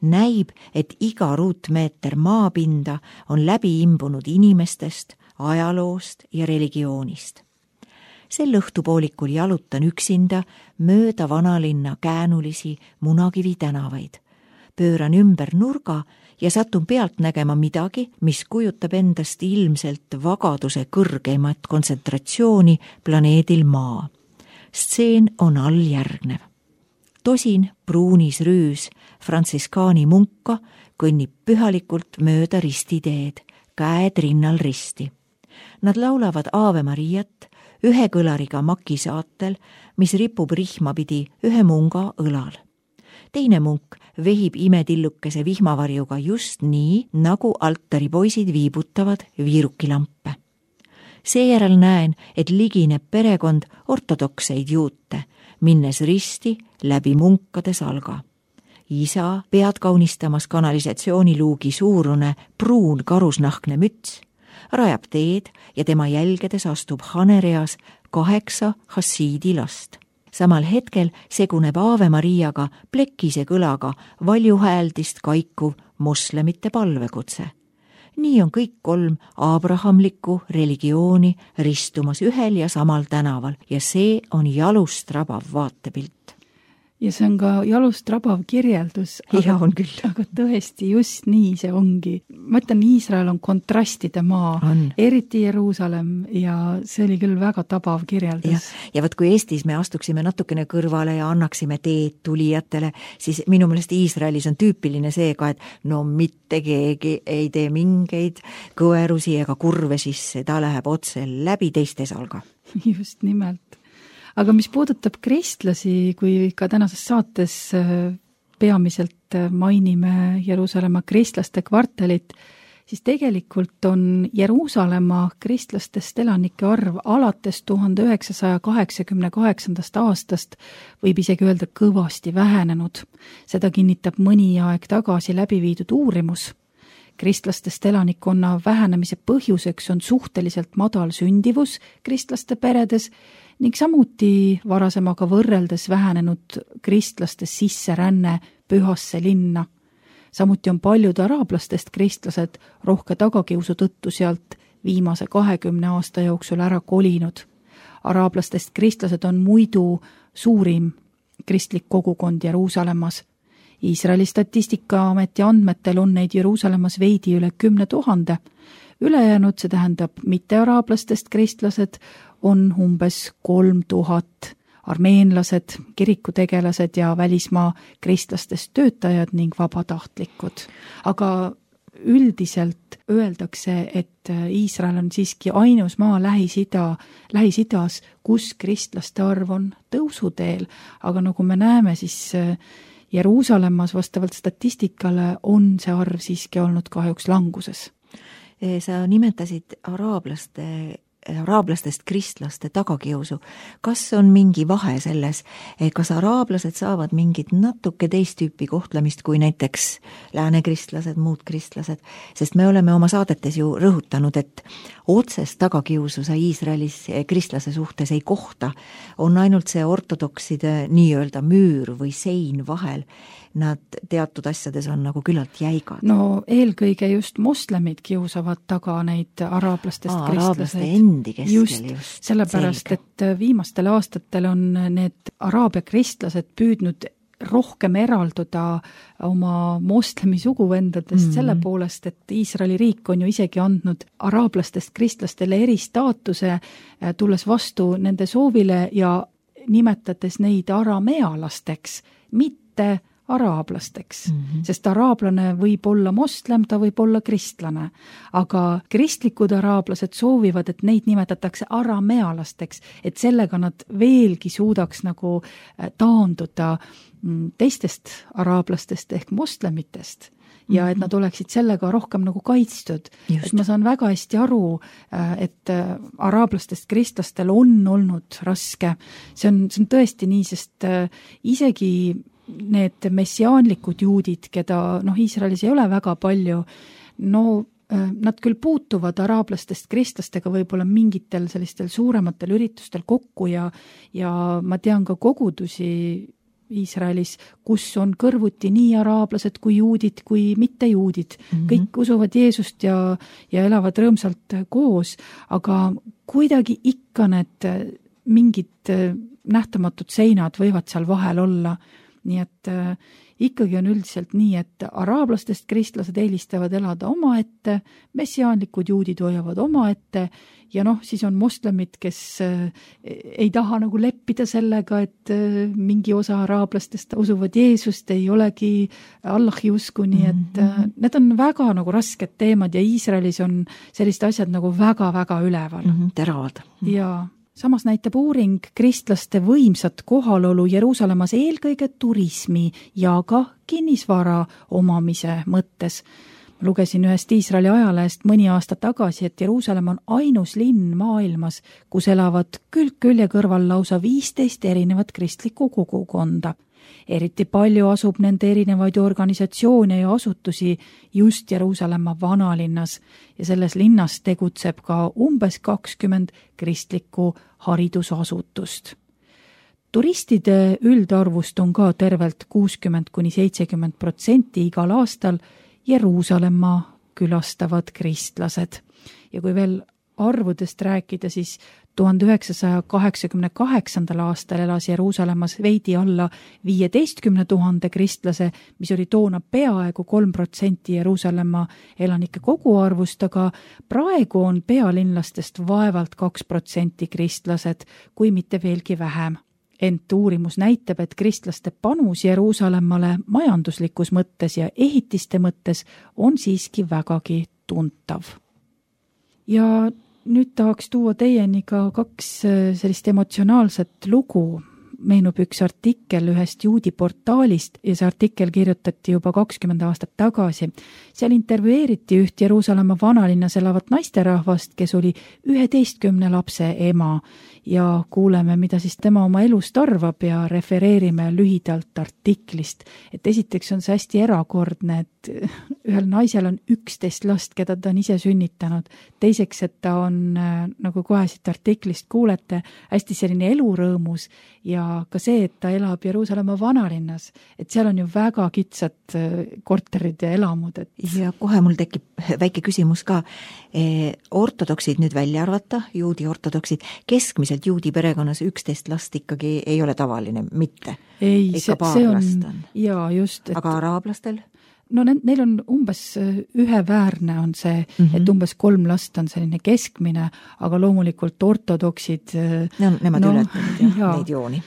Näib, et iga ruutmeeter maapinda on läbi imbunud inimestest, ajaloost ja religioonist. Sel õhtupoolikul jalutan üksinda mööda vanalinna käänulisi Munakivi tänavaid. Pööran ümber nurga ja satun pealt nägema midagi, mis kujutab endast ilmselt vagaduse kõrgeimat kontsentratsiooni planeedil Maa. Stseen on alljärgnev. Tosin pruunis rüüs frantsiskaani munka kõnnib pühalikult mööda ristiteed, käed rinnal risti. Nad laulavad Aave Mariat ühe kõlariga makisaatel, mis ripub rihma pidi ühe munga õlal. Teine munk vehib imetillukese vihmavarjuga just nii, nagu altaripoisid viibutavad viirukilampe. Seejärel näen, et ligineb perekond ortodokseid juute, minnes risti läbi munkade salga. Isa pead kaunistamas kanalisatsiooniluugi suurune pruun karusnahkne müts, rajab teed ja tema jälgedes astub hanereas kaheksa hassiidi last. Samal hetkel seguneb Aave Mariaga plekise kõlaga valjuhääldist kaikuv moslemite palvekutse. Nii on kõik kolm abrahamlikku religiooni ristumas ühel ja samal tänaval ja see on jalust rabav vaatepilt. ja see on ka jalust rabav kirjeldus. Ja on küll. Aga tõesti, just nii see ongi. Ma ütlen, Iisrael on kontrastide maa, on. Eriti Jeruusalemm ja see oli küll väga tabav kirjeldus. Ja, ja võt, kui Eestis me astuksime natukene kõrvale ja annaksime teed tulijatele, siis minu meelest Iisraelis on tüüpiline see ka, et no mitte keegi ei tee mingeid kõverusi ega kurve sisse, ta läheb otse läbi teiste salga. Just nimelt. Aga mis puudutab kristlasi, kui ka tänases saates peamiselt mainime Jeruusalemma kristlaste kvartalit, siis tegelikult on Jeruusalemma kristlastest elanike arv alates tuhande üheksasaja kaheksakümne kaheksandast aastast võib isegi öelda kõvasti vähenenud. Seda kinnitab mõni aeg tagasi läbi viidud uurimus. Kristlastest elanikkonna vähenemise põhjuseks on suhteliselt madal sündivus kristlaste peredes ning samuti varasemaga võrreldes vähenenud kristlaste sisseränne pühasse linna. Samuti on paljud araablastest kristlased rohke tagakiusu tõttu sealt viimase kahekümne aasta jooksul ära kolinud. Araablastest kristlased on muidu suurim kristlik kogukond Jeruusalemmas. Iisraeli statistikaameti andmetel on neid Jeruusalemmas veidi üle kümne tuhande. Ülejäänud, see tähendab mittearaablastest kristlased, on umbes kolm tuhat. Armeenlased, kirikutegelased ja välismaa kristlastest töötajad ning vabatahtlikud. Aga üldiselt öeldakse, et Iisrael on siiski ainus maa Lähis-Ida, Lähis-Idas, kus kristlaste arv on tõusuteel. Aga nagu me näeme, siis Jeruusalemmas vastavalt statistikale on see arv siiski olnud kahjuks languses. Sa nimetasid araablaste, araablastest kristlaste tagakiusu. Kas on mingi vahe selles, kas araablased saavad mingit natuke teist tüüpi kohtlemist kui näiteks lääne kristlased, muud kristlased? Sest me oleme oma saadetes ju rõhutanud, et otsest tagakiusu sa Iisraelis kristlase suhtes ei kohta. On ainult see ortodokside nii-öelda müür või sein vahel. Nad teatud asjades on nagu küllalt jäigad. No eelkõige just moslemid kiusavad taga neid araablastest Aa, kristlased. Araablaste endi keskel just, just. Sellepärast, selge. Et viimastel aastatel on need araabia kristlased püüdnud rohkem eralduda oma moslemi suguvendadest mm-hmm. selle poolest, et Iisraeli riik on ju isegi andnud araablastest kristlastele eristaatuse, tulles vastu nende soovile ja nimetades neid aramealasteks, mitte araablasteks, mm-hmm. sest araablane võib olla moslem, ta võib olla kristlane, aga kristlikud araablased soovivad, et neid nimetatakse aramealasteks, et sellega nad veelgi suudaks nagu taanduda teistest araablastest ehk moslemitest ja et nad oleksid sellega rohkem nagu kaitstud. Et ma saan väga hästi aru, et araablastest kristlastel on olnud raske. See on, see on tõesti nii, sest isegi need messiaanlikud juudid, keda noh, Iisraelis ei ole väga palju, no nad küll puutuvad araablastest kristlastega võib-olla mingitel sellistel suurematel üritustel kokku ja, ja ma tean ka kogudusi Iisraelis, kus on kõrvuti nii araablased kui juudid kui mittejuudid. Mm-hmm. Kõik usuvad Jeesust ja, ja elavad rõõmsalt koos, aga kuidagi ikka need mingid nähtamatud seinad võivad seal vahel olla. Nii et äh, ikkagi on üldiselt nii, et araablastest kristlased eelistavad elada oma ette, messiaanlikud juudid hoiavad oma ette ja noh, siis on moslemid, kes äh, ei taha nagu leppida sellega, et äh, mingi osa araablastest usuvad Jeesust, ei olegi Allahi usku, nii et äh, need on väga nagu rasked teemad ja Iisraelis on sellised asjad nagu väga-väga üleval. Mm-hmm, teravad. Jaa. Samas näitab uuring kristlaste võimsat kohalolu Jeruusalemmas eelkõige turismi ja ka kinnisvara omamise mõttes. Ma lugesin ühest Iisraeli ajalehest mõni aasta tagasi, et Jeruusalemm on ainus linn maailmas, kus elavad külg külje kõrval lausa viisteist erinevat kristlikku kogukonda. Eriti palju asub nende erinevaid organisatsioone ja asutusi just Jeruusalemma vanalinnas ja selles linnas tegutseb ka umbes kakskümmend kristlikku haridusasutust. Turistide üldarvust on ka tervelt kuuskümmend kuni seitsekümmend protsenti igal aastal Jeruusalemma külastavad kristlased. Ja kui veel arvudest rääkida, siis tuhande üheksasaja kaheksakümne kaheksandal aastal elas Jeruusalemmas veidi alla viieteistkümne tuhande kristlase, mis oli toona peaaegu kolm protsenti Jeruusalemma elanike koguarvust, aga praegu on pealinlastest vaevalt kaks protsenti kristlased, kui mitte veelgi vähem. Ent uurimus näitab, et kristlaste panus Jeruusalemmale majanduslikus mõttes ja ehitiste mõttes on siiski vägagi tuntav. Ja nüüd tahaks tuua teieni ka kaks sellist emotsionaalset lugu. Meenub üks artikkel ühest juudi portaalist ja see artikkel kirjutati juba kakskümmend aastat tagasi. Seal intervjueeriti üht Jeruusalemma vanalinnas elavat naisterahvast, kes oli üheteistkümne lapse ema ja kuuleme, mida siis tema oma elust arvab ja refereerime lühidalt artiklist. Et esiteks on see hästi erakordne, et ühel naisel on üksteist last, keda ta on ise sünnitanud. Teiseks, et ta on, nagu kohe siit artiklist kuulete, hästi selline elurõõmus ja ka see, et ta elab Jeruusalemma vanalinnas, et seal on ju väga kitsad korterid ja elamud. Et... Ja kohe mul tekib väike küsimus ka. Ortodoksid nüüd välja arvata, juudi ortodoksid, keskmiselt juudi perekonnas üksteist last ikkagi ei ole tavaline, mitte? Ei, Ikka see, paar see on, last on. Jaa, just. Et... Aga araablastel? No neil on umbes üheväärne on see, mm -hmm. et umbes kolm last on selline keskmine, aga loomulikult ortodoksid... No, nemad no, ületavad ja, neid jooni.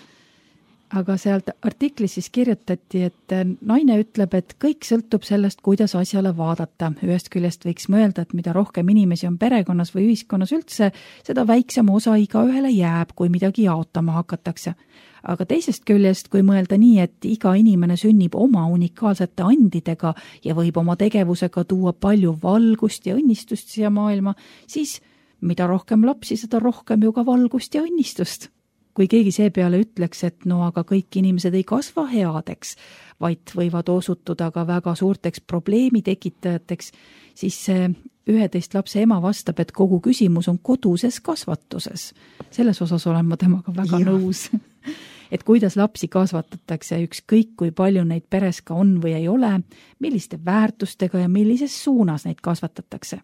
Aga sealt artiklis siis kirjutati, et naine ütleb, et kõik sõltub sellest, kuidas asjale vaadata. Ühest küljest võiks mõelda, et mida rohkem inimesi on perekonnas või ühiskonnas üldse, seda väiksem osa iga ühele jääb, kui midagi jaotama hakatakse. Aga teisest küljest, kui mõelda nii, et iga inimene sünnib oma unikaalsete andidega ja võib oma tegevusega tuua palju valgust ja õnnistust siia maailma, siis mida rohkem lapsi, seda rohkem ju ka valgust ja õnnistust. Kui keegi see peale ütleks, et no aga kõik inimesed ei kasva headeks, vaid võivad osutuda ka väga suurteks probleemi tekitajateks, siis see üheteist lapse ema vastab, et kogu küsimus on koduses kasvatuses. Selles osas olen ma temaga väga ja. nõus. Et kuidas lapsi kasvatatakse, ükskõik kui palju neid peres ka on või ei ole, milliste väärtustega ja millises suunas neid kasvatatakse.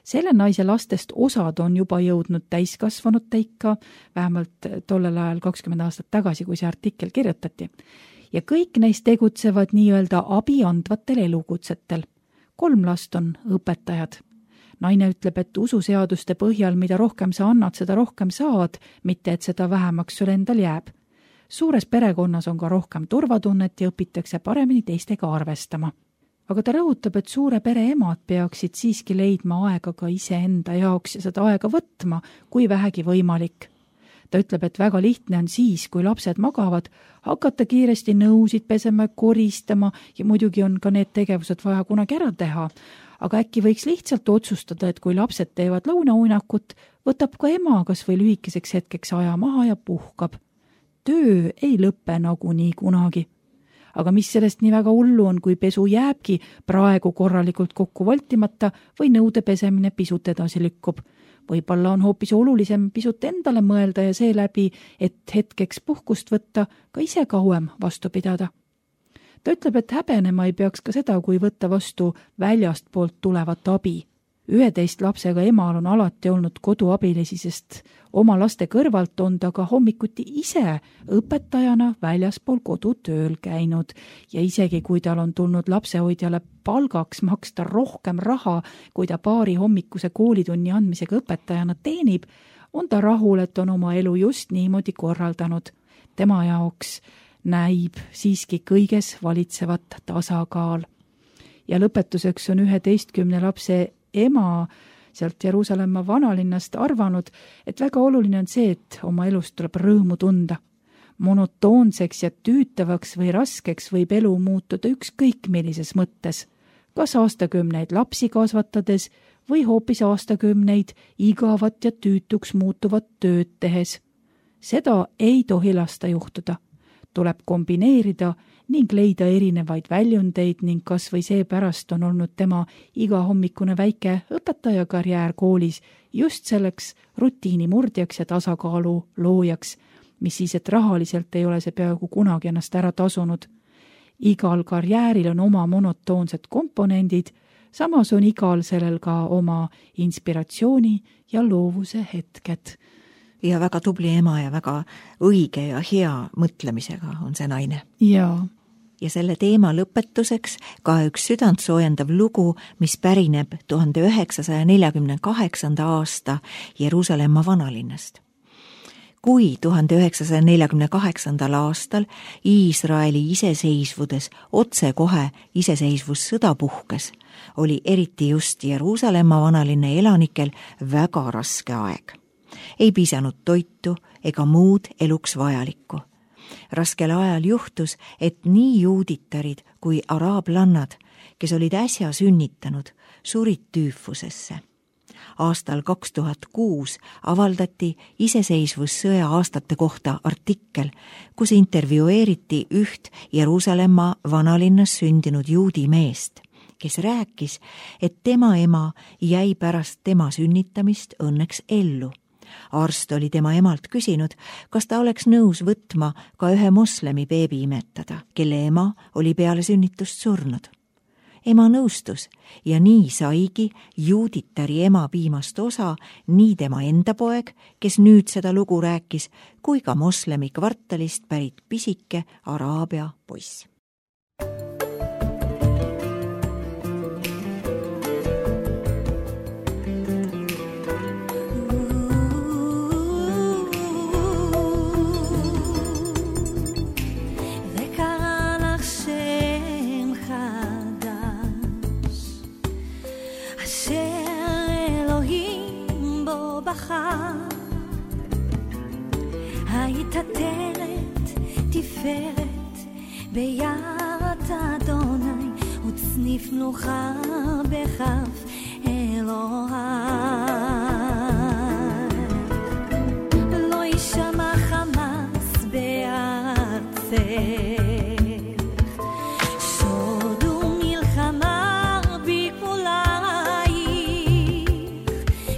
Selle naise lastest osad on juba jõudnud täiskasvanud teika, vähemalt tollel ajal kakskümmend aastat tagasi, kui see artikkel kirjutati. Ja kõik neist tegutsevad nii-öelda abi andvatel elukutsetel. Kolm last on õpetajad. Naine ütleb, et ususeaduste põhjal, mida rohkem sa annad, seda rohkem saad, mitte et seda vähemaks sul endal jääb. Suures perekonnas on ka rohkem turvatunnet ja õpitakse paremini teistega arvestama. Aga ta rõhutab, et suure pere emad peaksid siiski leidma aega ka iseenda jaoks ja seda aega võtma, kui vähegi võimalik. Ta ütleb, et väga lihtne on siis, kui lapsed magavad, hakata kiiresti nõusid pesema, koristama ja muidugi on ka need tegevused vaja kunagi ära teha. Aga äkki võiks lihtsalt otsustada, et kui lapsed teevad lõunauinakut, võtab ka ema kas või lühikeseks hetkeks aja maha ja puhkab. Töö ei lõppe nagu nii kunagi. Aga mis sellest nii väga hullu on, kui pesu jääbki praegu korralikult kokku voltimata või nõude pesemine pisut edasi lükkub. Võib-olla on hoopis olulisem pisut endale mõelda ja seeläbi, et hetkeks puhkust võtta, ka ise kauem vastu pidada. Ta ütleb, et häbenema ei peaks ka seda, kui võtta vastu väljast poolt tulevat abi. Üheteist lapsega emal on alati olnud koduabilisi, sest oma laste kõrvalt on ta ka hommikuti ise õpetajana väljaspool kodu tööl käinud ja isegi kui tal on tulnud lapsehoidjale palgaks maksta rohkem raha, kui ta paari hommikuse koolitunni andmisega õpetajana teenib, on ta rahul, et on oma elu just niimoodi korraldanud. Tema jaoks näib siiski kõiges valitsevat tasakaal. Ja lõpetuseks on üheteistkümne lapse ema sealt Jeruusalemma vanalinnast arvanud, et väga oluline on see, et oma elust tuleb rõõmu tunda. Monotoonseks ja tüütavaks või raskeks võib elu muutuda ükskõik millises mõttes, kas aastakümneid lapsi kasvatades või hoopis aastakümneid igavat ja tüütuks muutuvat tööd tehes. Seda ei tohi lasta juhtuda. Tuleb kombineerida ning leida erinevaid väljundeid ning kas või seepärast on olnud tema igahommikune väike õpetajakarjäär koolis just selleks rutiini murdjaks ja tasakaalu loojaks, mis siis, et rahaliselt ei ole see peaaegu kunagi ennast ära tasunud. Igal karjääril on oma monotoonsed komponendid, samas on igal sellel ka oma inspiratsiooni ja loovuse hetked. ja väga tubli ema ja väga õige ja hea mõtlemisega on see naine. jaa. Ja selle teema lõpetuseks ka üks südant soojendav lugu, mis pärineb tuhande üheksasaja neljakümne kaheksanda aasta Jeruusalemma vanalinnast. Kui tuhande üheksasaja neljakümne kaheksandal aastal Iisraeli iseseisvudes otsekohe iseseisvussõda puhkes, oli eriti just Jeruusalemma vanalinna elanikel väga raske aeg. Ei piisanud toitu ega muud eluks vajalikku. Raskel ajal juhtus, et nii juuditarid kui araablannad, kes olid äsja sünnitanud, surid tüüfusesse. Aastal kaks tuhat kuus avaldati iseseisvussõja aastate kohta artikkel, kus intervjueeriti üht Jeruusalemma vanalinnas sündinud juudi meest, kes rääkis, et tema ema jäi pärast tema sünnitamist õnneks ellu. Arst oli tema emalt küsinud, kas ta oleks nõus võtma ka ühe moslemi beebi imetada, kelle ema oli peale sünnitust surnud. Ema nõustus ja nii saigi juuditari ema piimast osa nii tema enda poeg, kes nüüd seda lugu rääkis, kui ka moslemi kvartalist pärit pisike araabia poiss. היית תרת תפארת ביד אדוני וצניף מלוכה בכף אלוהי לא ישמע חמאס בארצך שוד ומלחמה בגבולייך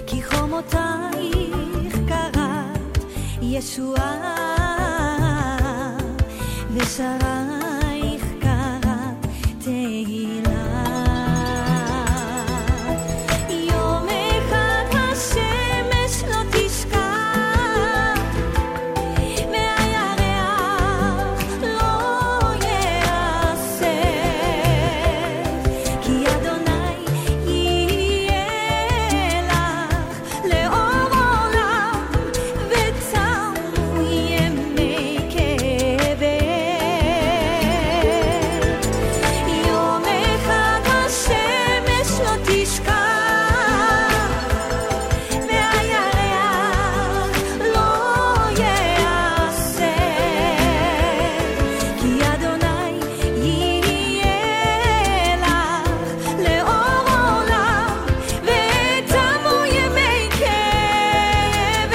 כי חומותייך קראת ישועה ושרייך קראת תהילה יום אחד השמש לא תשקע והירח לא יעשה כי אדוני יהיה לך לאור עולם וצמו ימי כאב יום אחד השמש לא תשקע והירח לא יעשה כי אדוני יהיה לך לאור עולם ותמו ימי כאב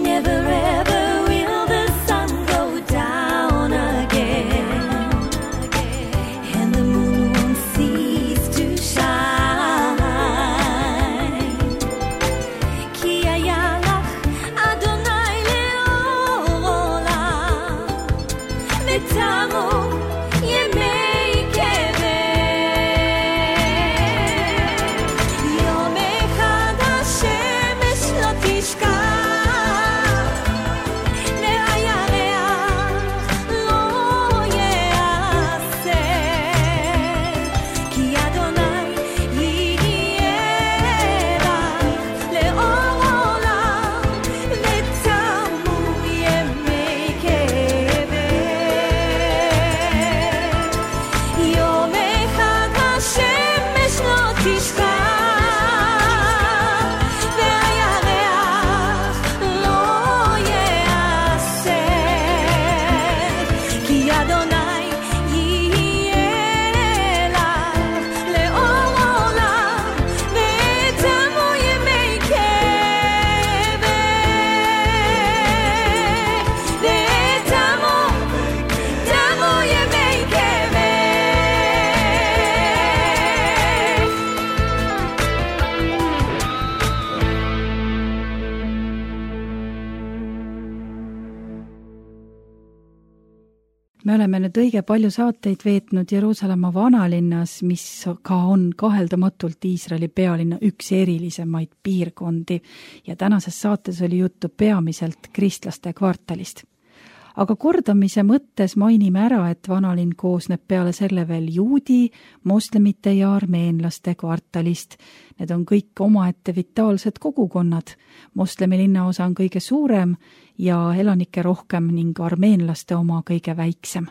Never ever will the sun go down again and the moon won't cease to shine כי היה לך אדוני לאור עולם ותמו ימי כאב יום אחד השמש לא תשקע והירח לא יעשה כי אדוני יהיה לך לאור עולם ותמו ימי כאב me oleme nüüd õige palju saateid veetnud Jeruusalemma vanalinnas, mis ka on kaheldamatult Iisraeli pealinna üks erilisemaid piirkondi ja tänases saates oli juttu peamiselt kristlaste kvartalist. Aga kordamise mõttes mainime ära, et vanalinn koosneb peale selle veel juudi, moslemite ja armeenlaste kvartalist. Need on kõik omaette vitaalsed kogukonnad. Moslemi linnaosa on kõige suurem ja elanike rohkem ning armeenlaste oma kõige väiksem.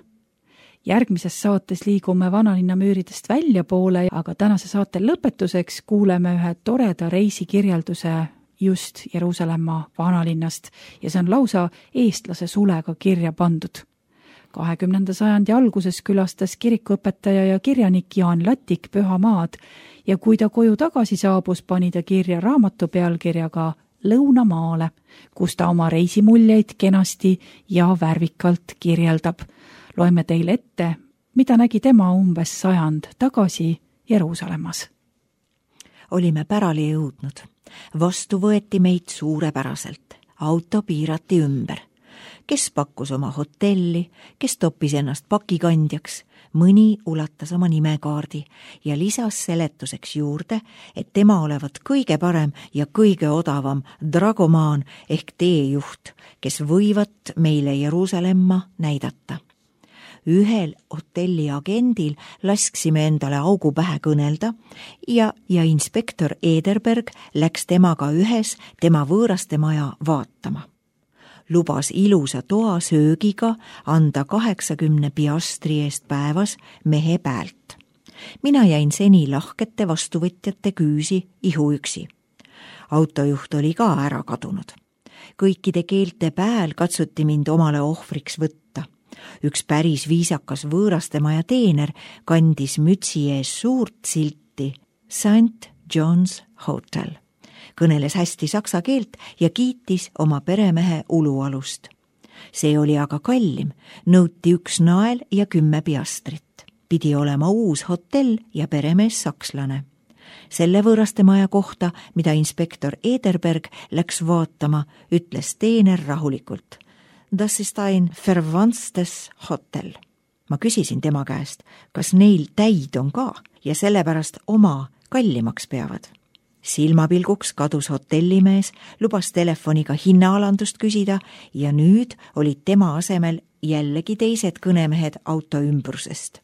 Järgmises saates liigume vanalinna müüridest välja poole, aga tänase saate lõpetuseks kuuleme ühe toreda reisikirjelduse just Jeruusalemma vanalinnast ja see on lausa eestlase sulega kirja pandud. kahekümnenda sajandi alguses külastas kirikuõpetaja ja kirjanik Jaan Latik Pühamaad ja kui ta koju tagasi saabus, pani ta kirja raamatu pealkirjaga Lõunamaale, kus ta oma reisimuljeid kenasti ja värvikalt kirjeldab. Loeme teile ette, mida nägi tema umbes sajand tagasi Jeruusalemmas. Olime pärali jõudnud. Vastu võeti meid suurepäraselt. Auto piirati ümber. Kes pakkus oma hotelli, kes toppis ennast pakikandjaks, mõni ulatas oma nimekaardi ja lisas seletuseks juurde, et tema olevat kõige parem ja kõige odavam dragomaan ehk teejuht, kes võivat meile Jeruusalemma näidata. Ühel hotelli agendil lasksime endale augu pähe kõnelda ja, ja inspektor Ederberg läks temaga ühes tema võõraste maja vaatama. Lubas ilusa toa söögiga anda kaheksakümne piastri eest päevas mehe päält. Mina jäin seni lahkete vastuvõtjate küüsi ihuüksi. Autojuht oli ka ära kadunud. Kõikide keelte pääl katsuti mind omale ohvriks võtta. Üks päris viisakas võõrastemaja teener kandis mütsi ees suurt silti Saint John's Hotel. Kõneles hästi saksa keelt ja kiitis oma peremehe ulualust. See oli aga kallim, nõuti üks nael ja kümme piastrit. Pidi olema uus hotell ja peremees sakslane. Selle võõrastemaja kohta, mida inspektor Ederberg läks vaatama, ütles teener rahulikult. Das ist ein verwandtes Hotel. Ma küsisin tema käest, kas neil täid on ka ja sellepärast oma kallimaks peavad. Silmapilguks kadus hotellimees, lubas telefoniga hinnaalandust küsida ja nüüd olid tema asemel jällegi teised kõnemehed auto ümbrusest.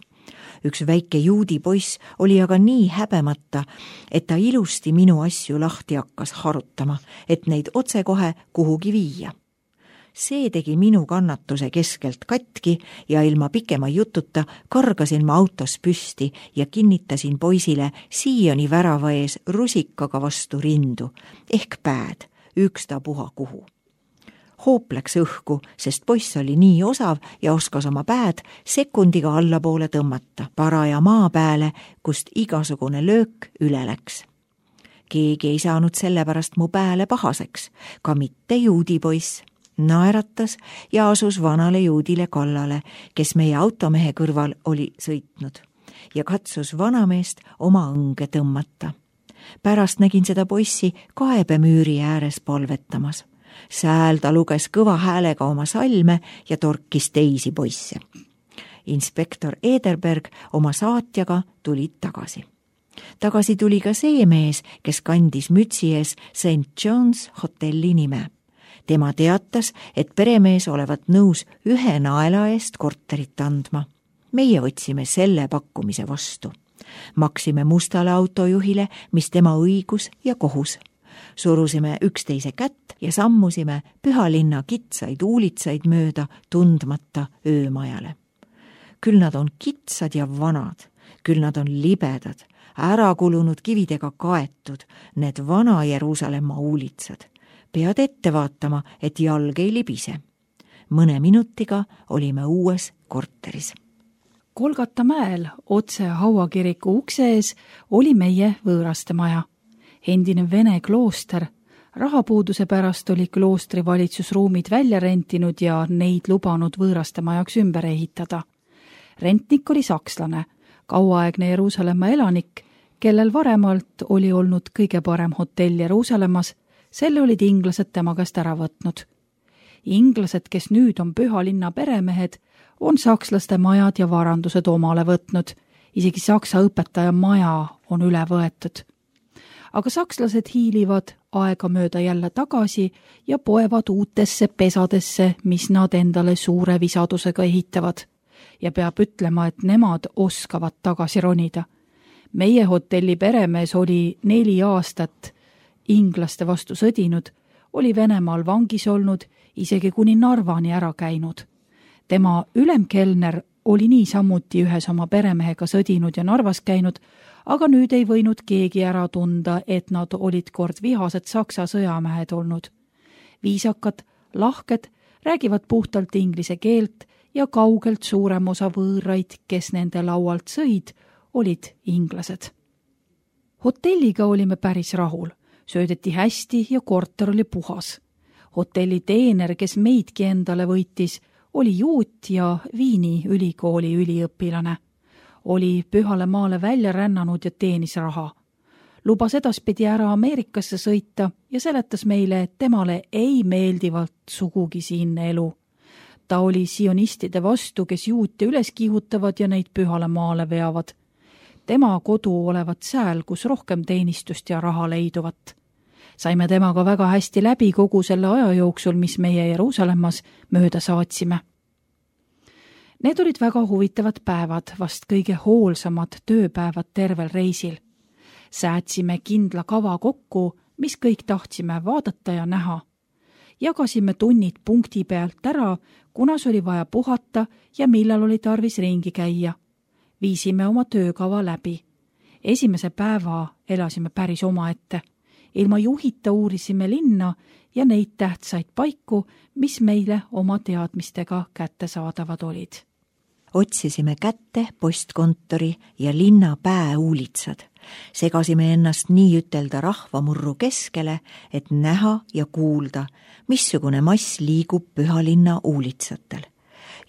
Üks väike juudi poiss oli aga nii häbemata, et ta ilusti minu asju lahti hakkas harutama, et neid otsekohe kuhugi viia. See tegi minu kannatuse keskelt katki ja ilma pikema jututa kargasin ma autos püsti ja kinnitasin poisile siiani värava ees rusikaga vastu rindu, ehk pääd, ükstapuha kuhu. Hoop läks õhku, sest poiss oli nii osav ja oskas oma pääd sekundiga allapoole tõmmata, paraja maa pääle, kust igasugune löök üle läks. Keegi ei saanud sellepärast mu pääle pahaseks, ka mitte juudi poiss. Naeratas ja asus vanale juudile kallale, kes meie automehe kõrval oli sõitnud ja katsus vanameest oma õnge tõmmata. Pärast nägin seda poissi kaebemüüri ääres palvetamas. Sääl ta luges kõva häälega oma salme ja torkis teisi poisse. Inspektor Ederberg oma saatjaga tulid tagasi. Tagasi tuli ka see mees, kes kandis mütsi ees Saint John's hotelli nime. Tema teatas, et peremees olevat nõus ühe naela eest korterit andma. Meie võtsime selle pakkumise vastu. Maksime mustale autojuhile, mis tema õigus ja kohus. Surusime üksteise kätt ja sammusime pühalinna kitsaid uulitsaid mööda tundmata öömajale. Küll nad on kitsad ja vanad, küll nad on libedad, ära kulunud kividega kaetud, need vana Jeruusalemma uulitsad. Pead ette vaatama, et jalg ei libise. Mõne minutiga olime uues korteris. Kolgata mäel otse hauakiriku ukse ees oli meie võõrastemaja. Endine vene klooster. Rahapuuduse pärast oli kloostri valitsusruumid välja rentinud ja neid lubanud võõrastemajaks ümber ehitada. Rentnik oli sakslane, kauaaegne Jeruusalemma elanik, kellel varemalt oli olnud kõige parem hotell Jeruusalemmas. Selle olid inglased tema käest ära võtnud. Inglased, kes nüüd on püha linna peremehed, on sakslaste majad ja varandused omale võtnud. Isegi saksa õpetaja maja on üle võetud. Aga sakslased hiilivad aega mööda jälle tagasi ja poevad uutesse pesadesse, mis nad endale suure visadusega ehitavad. Ja peab ütlema, et nemad oskavad tagasi ronida. Meie hotelli peremees oli neli aastat inglaste vastu sõdinud, oli Venemaal vangis olnud, isegi kuni Narvani ära käinud. Tema ülemkelner oli niisamuti ühes oma peremehega sõdinud ja Narvas käinud, aga nüüd ei võinud keegi ära tunda, et nad olid kord vihased saksa sõjamehed olnud. Viisakad, lahked, räägivad puhtalt inglise keelt ja kaugelt suurem osa võõraid, kes nende laualt sõid, olid inglased. Hotelliga olime päris rahul, söödeti hästi ja korter oli puhas. Hotelli teener, kes meidki endale võitis, oli juut ja Viini ülikooli üliõpilane. Oli pühale maale välja rännanud ja teenis raha. Lubas edaspidi ära Ameerikasse sõita ja seletas meile, et temale ei meeldivalt sugugi siinne elu. Ta oli sionistide vastu, kes juute üles kihutavad ja neid pühale maale veavad. Tema kodu olevat sääl, kus rohkem teenistust ja raha leiduvat. Saime temaga väga hästi läbi kogu selle aja jooksul, mis meie Jeruusalemmas mööda saatsime. Need olid väga huvitavad päevad, vast kõige hoolsamad tööpäevad tervel reisil. Säätsime kindla kava kokku, mis kõik tahtsime vaadata ja näha. Jagasime tunnid punkti pealt ära, kunas oli vaja puhata ja millal oli tarvis ringi käia. Viisime oma töökava läbi. Esimese päeva elasime päris omaette. Ilma juhita uurisime linna ja neid tähtsaid paiku, mis meile oma teadmistega kättesaadavad olid. Otsisime kätte postkontori ja linna pääuulitsad. Segasime ennast nii ütelda rahvamurru keskele, et näha ja kuulda, missugune mass liigub pühalinna uulitsatel.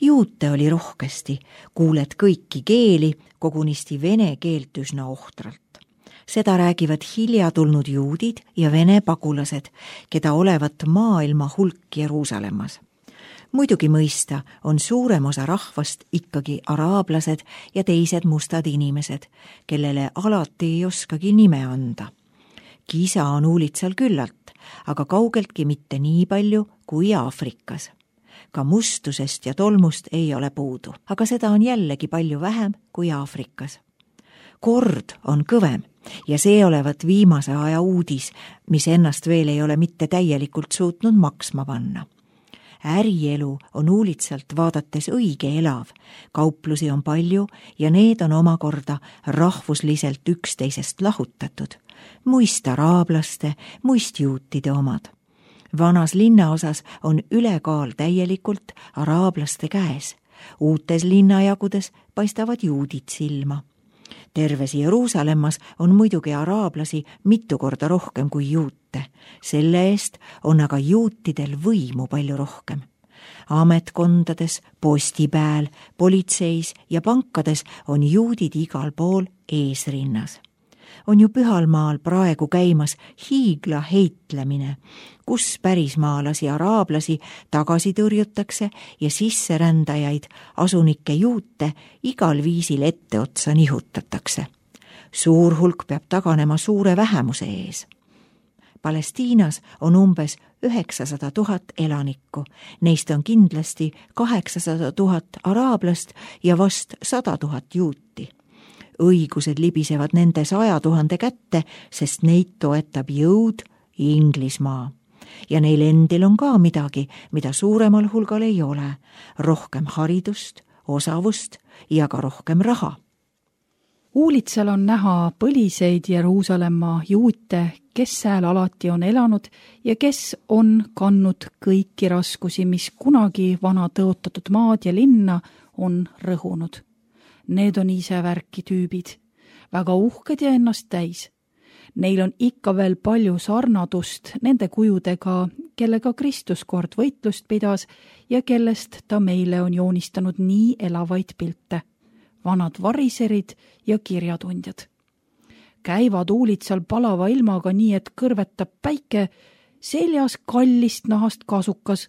Juute oli rohkesti, kuuled kõiki keeli, kogunisti vene keelt üsna ohtralt. Seda räägivad hilja tulnud juudid ja vene pagulased, keda olevat maailma hulk Jeruusalemmas. Muidugi mõista on suurem osa rahvast ikkagi araablased ja teised mustad inimesed, kellele alati ei oskagi nime anda. Kisa on uulitsal küllalt, aga kaugeltki mitte nii palju kui Aafrikas. Ka mustusest ja tolmust ei ole puudu, aga seda on jällegi palju vähem kui Aafrikas. Kord on kõvem ja see olevat viimase aja uudis, mis ennast veel ei ole mitte täielikult suutnud maksma panna. Ärielu on uulitsalt vaadates õige elav, kauplusi on palju ja need on omakorda rahvusliselt üksteisest lahutatud, muist araablaste, muist juutide omad. Vanas linnaosas on ülekaal täielikult araablaste käes, uutes linnajagudes paistavad juudid silma. Terves Jeruusalemmas on muidugi araablasi mitu korda rohkem kui juute. Selle eest on aga juutidel võimu palju rohkem. Ametkondades, postipääl, politseis ja pankades on juudid igal pool eesrinnas. On ju pühalmaal praegu käimas hiigla heitlemine, kus pärismaalasi araablasi tagasi tõrjutakse ja sisserändajaid, asunikke juute igal viisil etteotsa nihutatakse. Suur hulk peab taganema suure vähemuse ees. Palestiinas on umbes üheksasada tuhat elanikku, neist on kindlasti kaheksasada tuhat araablast ja vast sada tuhat juuti. Õigused libisevad nende saja tuhande kätte, sest neid toetab jõud Inglismaa. Ja neil endil on ka midagi, mida suuremal hulgal ei ole, rohkem haridust, osavust ja ka rohkem raha. Uulitsal on näha põliseid Jeruusalemma juute, kes sääl alati on elanud ja kes on kannud kõiki raskusi, mis kunagi vana tõotatud maad ja linna on rõhunud. Need on ise värki tüübid, väga uhked ja ennast täis. Neil on ikka veel palju sarnadust nende kujudega, kellega Kristus kord võitlust pidas ja kellest ta meile on joonistanud nii elavaid pilte. Vanad variserid ja kirjatundjad. Käivad uulitsal palava ilmaga nii, et kõrvetab päike, seljas kallist nahast kasukas,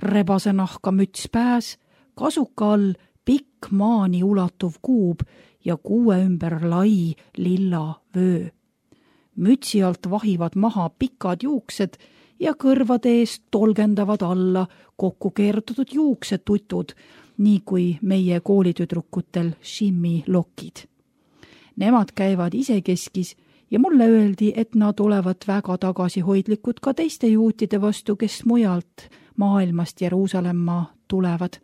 rebase nahka müts pääs, kasuka all pikk maani ulatuv kuub ja kuue ümber lai lilla vöö. Mütsi alt vahivad maha pikad juuksed ja kõrvade eest tolgendavad alla kokku keerutatud juuksetutud, nii kui meie koolitüdrukutel shimmi lokid. Nemad käivad isekeskis ja mulle öeldi, et nad olevat väga tagasihoidlikud ka teiste juutide vastu, kes mujalt maailmast Jeruusalemma tulevad.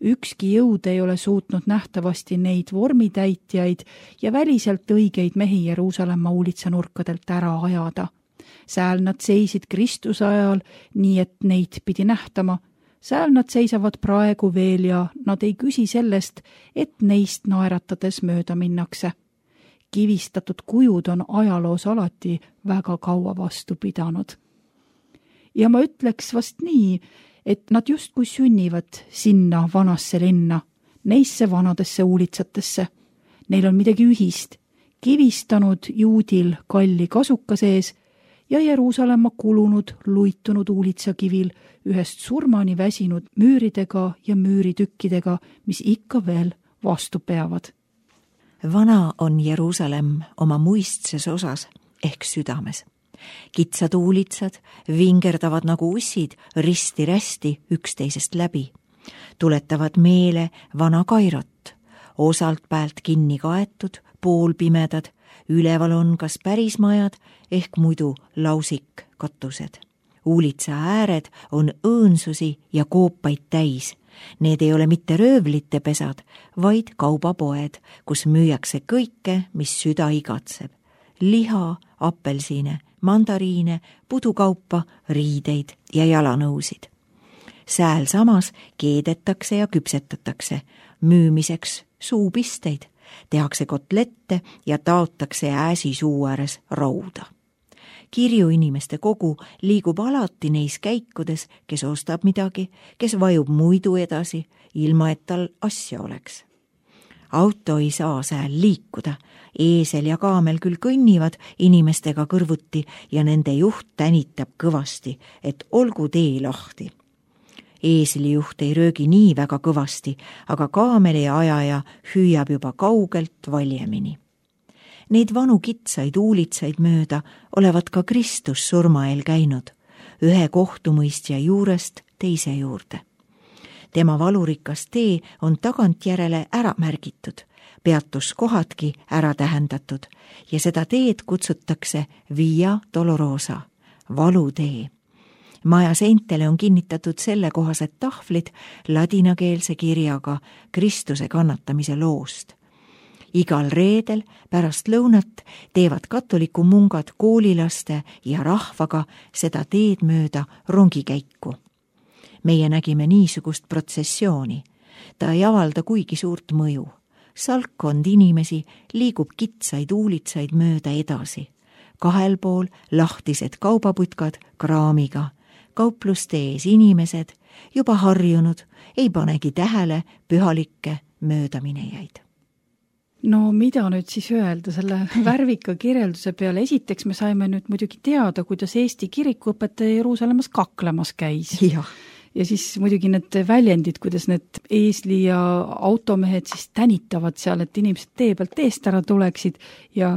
Ükski jõud ei ole suutnud nähtavasti neid vormitäitjaid ja väliselt õigeid mehi Jeruusalemma uulitsanurkadelt ära ajada. Sääl nad seisid Kristuse ajal, nii et neid pidi nähtama. Sääl nad seisavad praegu veel ja nad ei küsi sellest, et neist naeratades mööda minnakse. Kivistatud kujud on ajaloos alati väga kaua vastu pidanud. Ja ma ütleks vast nii, et nad justkui sünnivad sinna vanasse linna, neisse vanadesse uulitsatesse. Neil on midagi ühist, kivistanud juudil kalli kasuka sees ja Jeruusalemma kulunud, luitunud uulitsakivil ühest surmani väsinud müüridega ja müüritükkidega, mis ikka veel vastu peavad. Vana on Jeruusalemm oma muistses osas ehk südames. Kitsad uulitsad vingerdavad nagu ussid risti-rästi üksteisest läbi. Tuletavad meele vana Kairot, osalt päält kinni kaetud, poolpimedad, üleval on kas päris majad ehk muidu lausik katused. Uulitsa ääred on õõnsusi ja koopaid täis. Need ei ole mitte röövlite pesad, vaid kaubapoed, kus müüakse kõike, mis süda igatseb. Liha, apelsine, mandariine, pudukaupa, riideid ja jalanõusid. Sääl samas keedetakse ja küpsetatakse, müümiseks suupisteid, tehakse kotlette ja taotakse ääsi suu ääres rauda. Kirju inimeste kogu liigub alati neis käikudes, kes ostab midagi, kes vajub muidu edasi, ilma et tal asja oleks. Auto ei saa sääl liikuda, eesel ja kaamel küll kõnnivad inimestega kõrvuti ja nende juht tänitab kõvasti, et olgu tee lahti. Eesli juht ei röögi nii väga kõvasti, aga kaameli ajaja hüüab juba kaugelt valjemini. Neid vanu kitsaid uulitsaid mööda olevat ka Kristus surmael käinud, ühe kohtumõistja juurest teise juurde. Tema valurikas tee on tagantjärele ära märgitud, peatuskohadki ära tähendatud ja seda teed kutsutakse Via Dolorosa, valutee. Maja seintele on kinnitatud sellekohased tahvlid ladinakeelse kirjaga Kristuse kannatamise loost. Igal reedel pärast lõunat teevad katoliku mungad koolilaste ja rahvaga seda teed mööda rongikäiku. Meie nägime niisugust protsessiooni. Ta ei avalda kuigi suurt mõju. Salkkond inimesi liigub kitsaid uulitsaid mööda edasi. Kahel pool lahtised kaubaputkad kraamiga. Kaupluste ees inimesed, juba harjunud, ei panegi tähele pühalikke möödaminejaid. No mida nüüd siis öelda selle värvika kirjelduse peale? Esiteks me saime nüüd muidugi teada, kuidas Eesti kirikuõpetaja Jeruusalemmas kaklemas käis. Ja. ja siis muidugi need väljendid, kuidas need eesli ja automehed siis tänitavad seal, et inimesed tee pealt eest ära tuleksid ja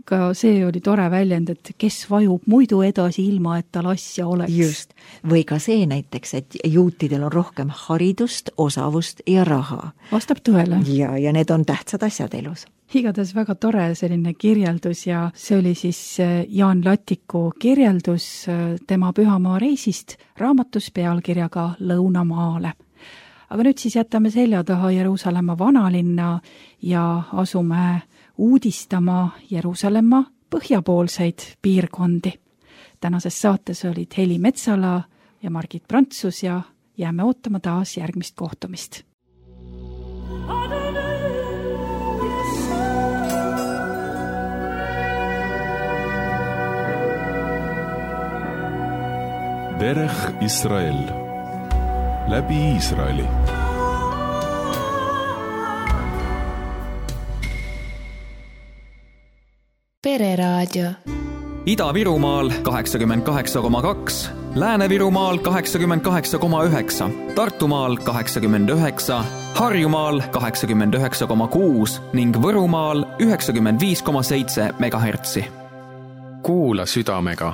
ka see oli tore väljend, et kes vajub muidu edasi ilma, et tal asja oleks. Just. Või ka see näiteks, et juutidel on rohkem haridust, osavust ja raha. Vastab tõele. Ja, ja need on tähtsad asjad elus. Igatahes väga tore selline kirjeldus ja see oli siis Jaan Latiku kirjeldus tema pühamaa reisist raamatus pealkirjaga Lõunamaale. Aga nüüd siis jätame selja taha Jeruusalemma vanalinna ja asume uudistama Jeruusalemma põhjapoolseid piirkondi. Tänases saates olid Heli Metsala ja Margit Prantsus ja jääme ootama taas järgmist kohtumist. Derech Israel läbi Iisraeli. Pereraadio. Ida-Virumaal kaheksakümmend kaheksa koma kaks, Lääne-Virumaal kaheksakümmend kaheksa koma üheksa, Tartumaal kaheksakümmend üheksa, Harjumaal kaheksakümmend üheksa koma kuus ning Võrumaal üheksakümmend viis koma seitse megahertsi. Kuula südamega